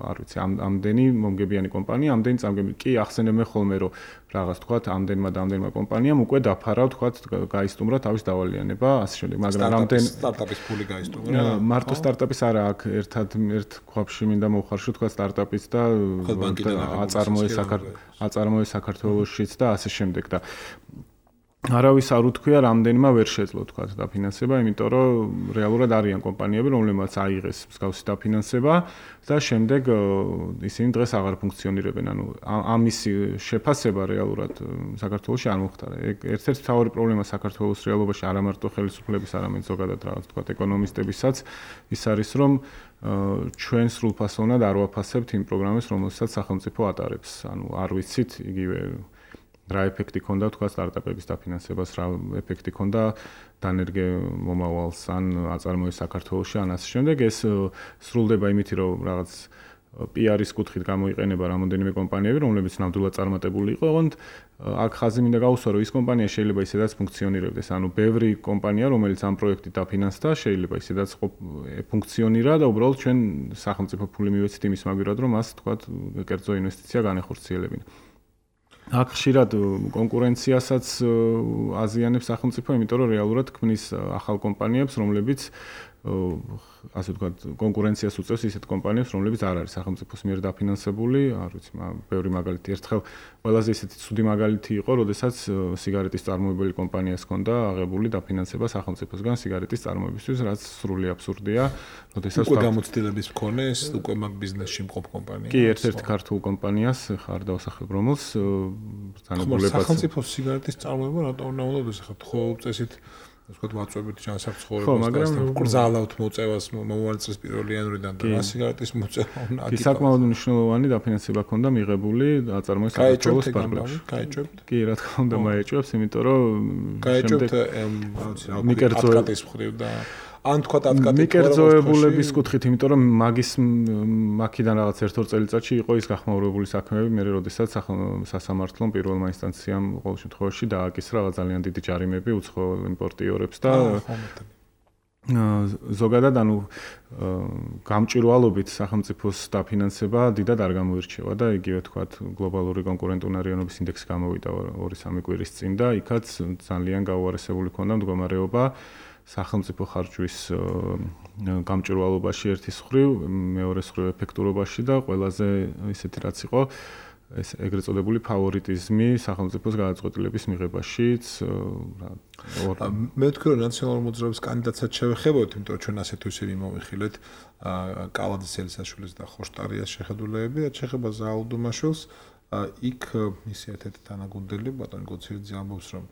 S4: არ ვიცი, ამდენი მომგებიანი კომპანია, ამდენი წამგებელი. კი ახსენებენ ხოლმე, რომ რაღაც თქვა ამდენმა და ამდენმა კომპანიამ უკვე დაფარა, თქვა გაისტუმრა თავის დავალიანება, ასე შემდეგ, მაგრამ რამდენ
S2: სტარტაპის ფული გაისტუმრა.
S4: მარტო სტარტაპის არა, აქ ერთად ერთ ქვაბში მინდა მოვხარშო, თქვა სტარტაპის და აწარმოე საქართველოშიც და ასე შემდეგ და არავის არ უთქვია რამდენმა ვერ შეძლო თქვა დაფინანსება, იმიტომ რომ რეალურად არიან კომპანიები, რომლებმაც აიღეს მსგავსი დაფინანსება და შემდეგ ისინი დღეს აღარ ფუნქციონირებენ. ანუ ამისი შეფასება რეალურად საქართველოში არ მოხდარა. ერთ-ერთი მთავარი პრობლემა საქართველოს რეალობაში არა მარტო ხელისუფლების, არამედ ზოგადად რაღაც თქვა ეკონომისტებისაც ის არის, რომ ჩვენ სრულფასოვნად არ ვაფასებთ იმ პროგრამებს, რომელსაც სახელმწიფო ატარებს. ანუ არ ვიცით იგივე რა ეფექტი ქონდა თქვა სტარტაპების დაფინანსებას, რა ეფექტი ქონდა დანერგე მომავალს ან აწარმოე საქართველოში ან ასე შემდეგ. ეს სრულდება იმით, რომ რაღაც პი არ-ის კუთხით გამოიყენება რამოდენიმე კომპანიები, რომლებიც ნამდვილად წარმატებული იყო, ოღონდ აქ ხაზი მინდა გაუსვა, რომ ის კომპანია შეიძლება ისედაც ფუნქციონირებდეს. ანუ ბევრი კომპანია, რომელიც ამ პროექტით დაფინანსდა, შეიძლება ისედაც ფუნქციონირა და უბრალოდ ჩვენ სახელმწიფო ფული მივეცით იმის მაგივრად, რომ მას თქვა კერძო ინვესტიცია განეხორციელებინა. აქ ხშირად კონკურენციასაც აზიანებს სახელმწიფო, იმიტომ რომ რეალურად ქმნის ახალ კომპანიებს, რომლებიც ასე ვთქვათ, კონკურენციას უწევს ისეთ კომპანიებს, რომლებიც არ არის სახელმწიფოს მიერ დაფინანსებული, არ ვიცი, ბევრი მაგალითი. ერთხელ ყველაზე ისეთი ცუდი მაგალითი იყო, როდესაც სიგარეტის წარმოებელი კომპანიას ჰქონდა აღებული დაფინანსება სახელმწიფოსგან სიგარეტის წარმოებისთვის, რაც სრული აბსურდია. როდესაც
S2: უკვე გამოცდილების მქონე ეს უკვე მაგ ბიზნესში მყოფ კომპანია.
S4: კი, ერთ-ერთ ქართულ კომპანიას ხარ დავსახებ, რომელს
S2: ბრძანებულებაც სახელმწიფოს სიგარეტის წარმოება რატო უნდა უნდა ხარ ხო წესით ასე ვთქვათ, ვაწვევით ჩანასახ ცხოვრებას და გრძალავთ მოწევას მომავალ წლის პირველი იანვრიდან და სიგარეტის მოწევა უნდა
S4: აკეთოს. კი, საკმაოდ მნიშვნელოვანი დაფინანსება ქონდა მიღებული აწარმოეს საქართველოს პარკლებში.
S2: გაეჭვებთ?
S4: კი, რა თქმა უნდა, მაეჭვებს, იმიტომ რომ
S2: გაეჭვებთ, აუცი, აკატის მხრივ და ან თქვა აკატის
S4: მიკერძოებულების კუთხით, იმიტომ რომ მაგის მაქიდან რაღაც ერთ-ორ წელიწადში იყო ის გახმაურებული საქმეები, მე როდესაც სასამართლომ პირველმა ინსტანციამ ყოველ შემთხვევაში დააკისრა რაღაც ძალიან დიდი ჯარიმები უცხოელ იმპორტიორებს და ზოგადად ანუ გამჭვირვალობით სახელმწიფოს დაფინანსება დიდად არ გამოირჩევა და იგივე თქვათ გლობალური კონკურენტუნარიანობის ინდექსი გამოვიდა ორი სამი კვირის წინ და იქაც ძალიან გაუარესებული ქონდა მდგომარეობა სახელმწიფო ხარჯვის გამჭვირვალობაში ერთის მხრივ, მეორეს მხრივ ეფექტურობაში და ყველაზე ისეთი რაც იყო ეს ეგრეთ წოდებული ფავორიტიზმი სახელმწიფოს გადაწყვეტილების მიღებაშიც
S2: მე ვთქვი რომ ნაციონალური მოძრაობის კანდიდატსაც შევეხებოთ, იმიტომ რომ ჩვენ ასეთ ისე მიმოვიხილეთ კალაძის ელისაშვილის და ხოშტარიას შეხედულებები და შეხება ზაალდუმაშვილს იქ მისი ერთ-ერთი თანაგუნდელი ბატონი გოცირიძე ამბობს რომ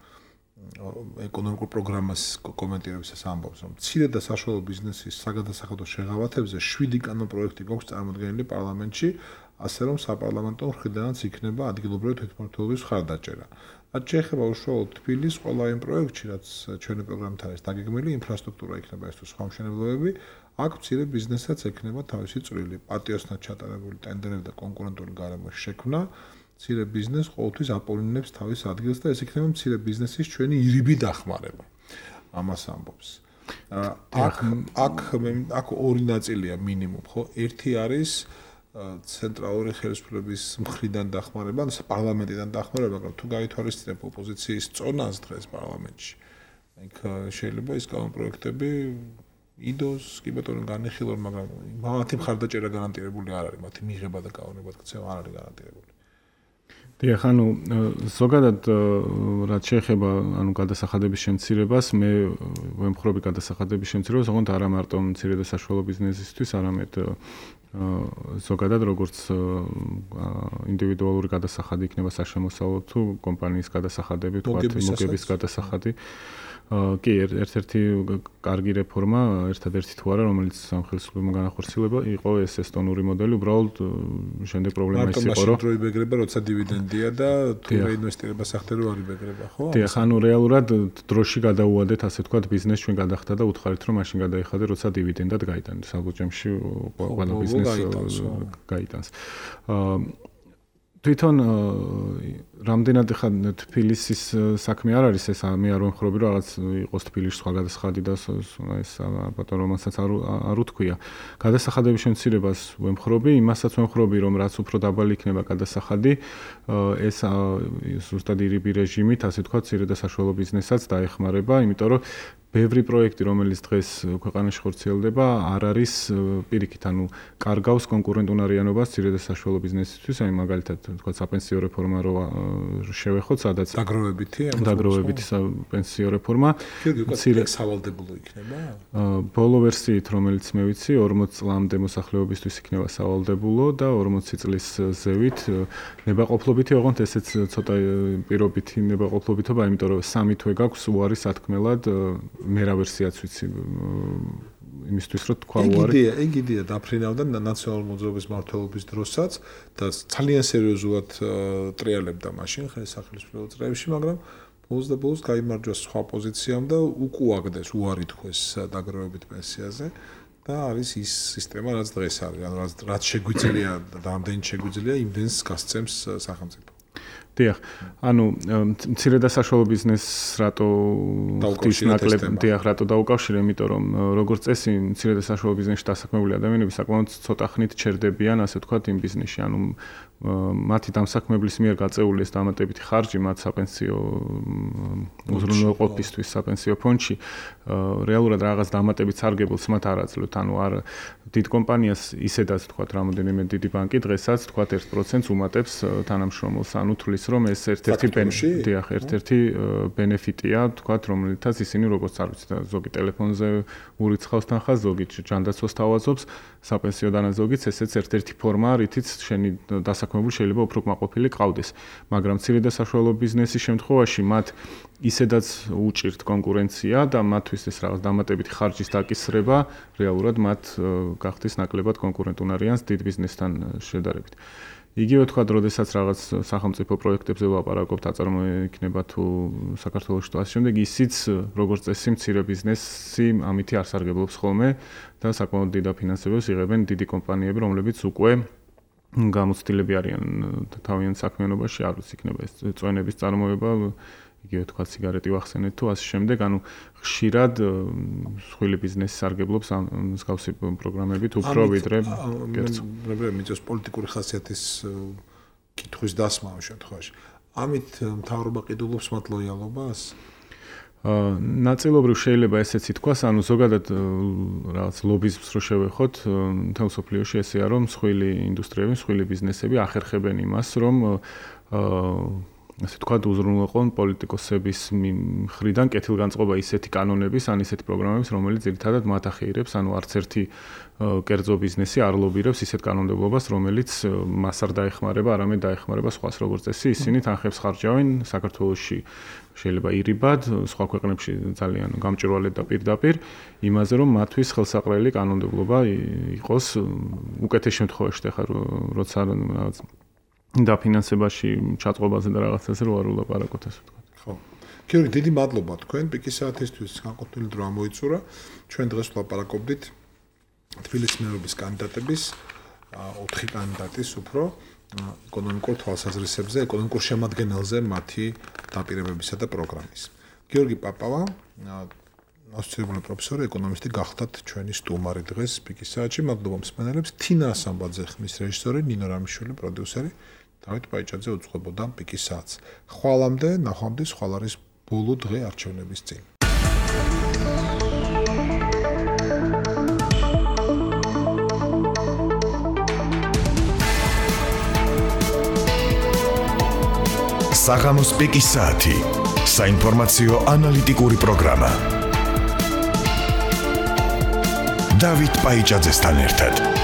S2: ეკონომიკურ პროგრამას კომენტირებისას ამბობს რომ მცირე და საშუალო ბიზნესის საგადასახადო შეღავათებზე შვიდი კანონპროექტი გვაქვს წარმოდგენილი პარლამენტში ასე რომ საპარლამენტო მხრიდანაც იქნება ადგილობრივი თვითმმართველობის მხარდაჭერა. რაც შეეხება უშუალოდ თბილისს, ყველა იმ პროექტში, რაც ჩვენი პროგრამით არის დაგეგმილი, ინფრასტრუქტურა იქნება ეს თუ სხვა მშენებლობები, აქ მცირე ბიზნესსაც ექნება თავისი წვლილი. პატიოსნად ჩატარებული ტენდერები და კონკურენტული გარემოს შექმნა მცირე ბიზნესს ყოველთვის აპოლინებს თავის ადგილს და ეს იქნება მცირე ბიზნესის ჩვენი ირიბი დახმარება. ამას ამბობს. აქ აქ აქ ორი ნაწილია მინიმუმ, ხო? ერთი არის ცენტრალური ხელისუფლების მხრიდან დახმარება, ანუ პარლამენტიდან დახმარება, მაგრამ თუ გაითვალისწინებ ოპოზიციის წონას დღეს პარლამენტში, იქ შეიძლება ის კანონპროექტები იდოს კი ბატონო განეხილონ, მაგრამ მათი მხარდაჭერა გარანტირებული არ არის, მათი მიღება და გაუნება ქცევა არ არის გარანტირებული.
S4: დიახ, ანუ ზოგადად რაც შეეხება ანუ გადასახადების შემცირებას, მე ვემხრობი გადასახადების შემცირებას, ოღონდ არა მარტო მცირე და საშუალო ბიზნესისთვის, არამედ ზოგადად როგორც ინდივიდუალური გადასახადი იქნება საშემოსავლო თუ კომპანიის გადასახადები, თქვათ მოგების გადასახადი. კი, ერთ-ერთი კარგი რეფორმა, ერთადერთი თუ არა, რომელიც სამხელისუფლებო განახორციელება, იყო ეს ესტონური მოდელი, უბრალოდ შემდეგ პრობლემა ის იყო, რომ
S2: დროი ბეგრება, როცა დივიდენდია და თუ რეინვესტირება სახთე რო არის ბეგრება, ხო?
S4: დიახ, ანუ რეალურად დროში გადაუვადეთ, ასე ვთქვათ, ბიზნეს ჩვენ გადახდა და უთხარით, რომ მაშინ გადაიხადე, როცა დივიდენდად გაიტანეს. საბუჯემში ყველა ბიზნეს გაიტანს. თვითონ რამდენად ხა თბილისის საქმე არ არის ეს მე არ ვემხრობი რომ რაღაც იყოს თბილისში სხვა გადასახადი და ეს ბატონ რომელსაც არ უთქვია გადასახადების შემცირებას ვემხრობი იმასაც ვემხრობი რომ რაც უფრო დაბალი იქნება გადასახადი ეს ზუსტად ირიბი რეჟიმით ასე თქვა მცირე და საშუალო ბიზნესსაც დაეხმარება იმიტომ რომ ბევრი პროექტი რომელიც დღეს ქვეყანაში ხორციელდება არ არის პირიქით ანუ კარგავს კონკურენტუნარიანობას მცირე და საშუალო ბიზნესისთვის აი მაგალითად თქვა საპენსიო რეფორმა რო შევეხოთ სადაც
S2: დაგროვებითი
S4: დაგროვებითი პენსიო რეფორმა
S2: მცირე სავალდებულო იქნება
S4: ბოლო ვერსიით რომელიც მე ვიცი ორმოც წლამდე მოსახლეობისთვის იქნება სავალდებულო და ორმოცი წლის ზევით ნებაყოფლობითი ოღონდ ესეც ცოტა პირობითი ნებაყოფლობითობა იმიტომ რომ სამი თვე გაქვს უარი სათქმელად მე რა ვერსიაც ვიცი იმისთვის რომ თქვა უარი
S2: ეგ იდეა ეგ იდეა დაფრინავდა ნაციონალური მოძრაობის მმართველობის დროსაც და ძალიან სერიოზულად ტრიალებდა მაშინ ხელისუფლების წრეებში მაგრამ ბოლოს და ბოლოს გაიმარჯვა სხვა პოზიციამ და უკუაგდეს უარი თქვეს დაგროვებით პენსიაზე და არის ის სისტემა რაც დღეს არის ანუ რაც შეგვიძლია და ამდენი შეგვიძლია იმდენს გასცემს სახელმწიფო
S4: დიახ, ანუ მცირე და საშუალო ბიზნესს რატო ხდის ნაკლებ, დიახ, რატო დაუკავშირე, იმიტომ რომ როგორც წესი მცირე და საშუალო ბიზნესში დასაქმებული ადამიანები საკმაოდ ცოტა ხნით ჩერდებიან, ასე ვთქვათ, იმ ბიზნესში, ანუ მათი დამსაქმებლის მიერ გაწეული ეს დამატებითი ხარჯი მათ საპენსიო უზრუნველყოფისთვის საპენსიო ფონდში რეალურად რაღაც დამატებით სარგებელს მათ არ აძლევთ, ანუ არ დიდ კომპანიას ისედაც ვთქვათ, რამოდენიმე დიდი ბანკი დღესაც ვთქვათ ერთ პროცენტს უმატებს თანამშრომელს, ანუ თulis რომ ეს ერთ-ერთი დიახ, ერთ-ერთი ბენეფიტია, ვთქვათ, რომელთაც ისინი როგორც არ ვიცი, ზოგი ტელეფონზე ურიცხავს თანხას, ზოგი ჯანდაცვას თავაზობს, საპენსიო დანაზოგიც ესეც ერთ-ერთი ფორმაა, რითიც შენი დასაქმებული შეიძლება უფრო კმაყოფილი ყავდეს. მაგრამ მცირე და საშუალო ბიზნესის შემთხვევაში მათ ისედაც უჭირთ კონკურენცია და მათთვის ეს რაღაც დამატებითი ხარჯის დაკისრება რეალურად მათ გახდის ნაკლებად კონკურენტუნარიანს დიდ ბიზნესთან შედარებით. იგივე თქვა, როდესაც რაღაც სახელმწიფო პროექტებზე ვლაპარაკობთ, აწარმოიქნება თუ საქართველოში თუ ასე შემდეგ, ისიც როგორც წესი მცირე ბიზნესი ამითი არ სარგებლობს ხოლმე და საკმაოდ დიდ დაფინანსებებს იღებენ დიდი კომპანიები, რომლებიც უკვე გამოცდილები არიან თავიანთ საქმიანობაში, არ ვიცი, იქნება ეს წვენების წარმოება, იგივე თქვა ციგარეტი ვახსენეთ თუ ასე შემდეგ, ანუ ხშირად სხვილი ბიზნესის სარგებლობს ამ მსგავსი პროგრამებით უფრო ვიდრე კერძო.
S2: მე მიწევს პოლიტიკური ხასიათის კითხვის დასმა ამ შემთხვევაში. ამით მთავრობა ყიდულობს მათ ლოიალობას?
S4: ნაწილობრივ შეიძლება ესეც ითქვას, ანუ ზოგადად რაღაც ლობიზმს რო შევეხოთ, მთელ სოფლიოში ესეა, რომ მსხვილი ინდუსტრიები, მსხვილი ბიზნესები ახერხებენ იმას, რომ ასე თქვა უზრუნველყონ პოლიტიკოსების მხრიდან კეთილგანწყობა ისეთი კანონების, ან ისეთი პროგრამების, რომელიც ძირითადად მათ ახეირებს, ანუ არც ერთი კერძო ბიზნესი არ ლობირებს ისეთ კანონმდებლობას, რომელიც მას არ დაეხმარება, არამედ დაეხმარება სხვას, როგორც წესი, ისინი თანხებს ხარჯავენ საქართველოში შეიძლება ირიბად, სხვა ქვეყნებში ძალიან გამჭვირვალედ და პირდაპირ იმაზე, რომ მათთვის ხელსაყრელი კანონმდებლობა იყოს უკეთეს შემთხვევაში, ხა როცა რაღაც დაფინანსებაში ჩაწყობაზე და რაღაცაზე რო არ ულაპარაკოთ ასე ვთქვათ.
S2: ხო. გიორგი, დიდი მადლობა თქვენ პიკის საათისთვის განყოფილი დრო ამოიწურა. ჩვენ დღეს ვლაპარაკობდით თბილისის მერობის კანდიდატების ოთხი კანდიდატის უფრო ეკონომიკურ თვალსაზრისებზე, ეკონომიკურ შემადგენელზე მათი დაპირებებისა და პროგრამის. გიორგი პაპავა, ასოცირებული პროფესორი, ეკონომისტი გახდათ ჩვენი სტუმარი დღეს პიკის საათში. მადლობა მსმენელებს. თინა ასამბაძე ხმის რეჟისორი, ნინო რამიშვილი პროდიუსერი. დავით პაიჭაძე უძღვებოდა პიკის საათს. ხვალამდე, ნახვამდის ხვალ არის ბოლო დღე არჩევნების წინ.
S1: საღამოს პიკის საათი. საინფორმაციო ანალიტიკური პროგრამა. დავით პაიჭაძესთან ერთად.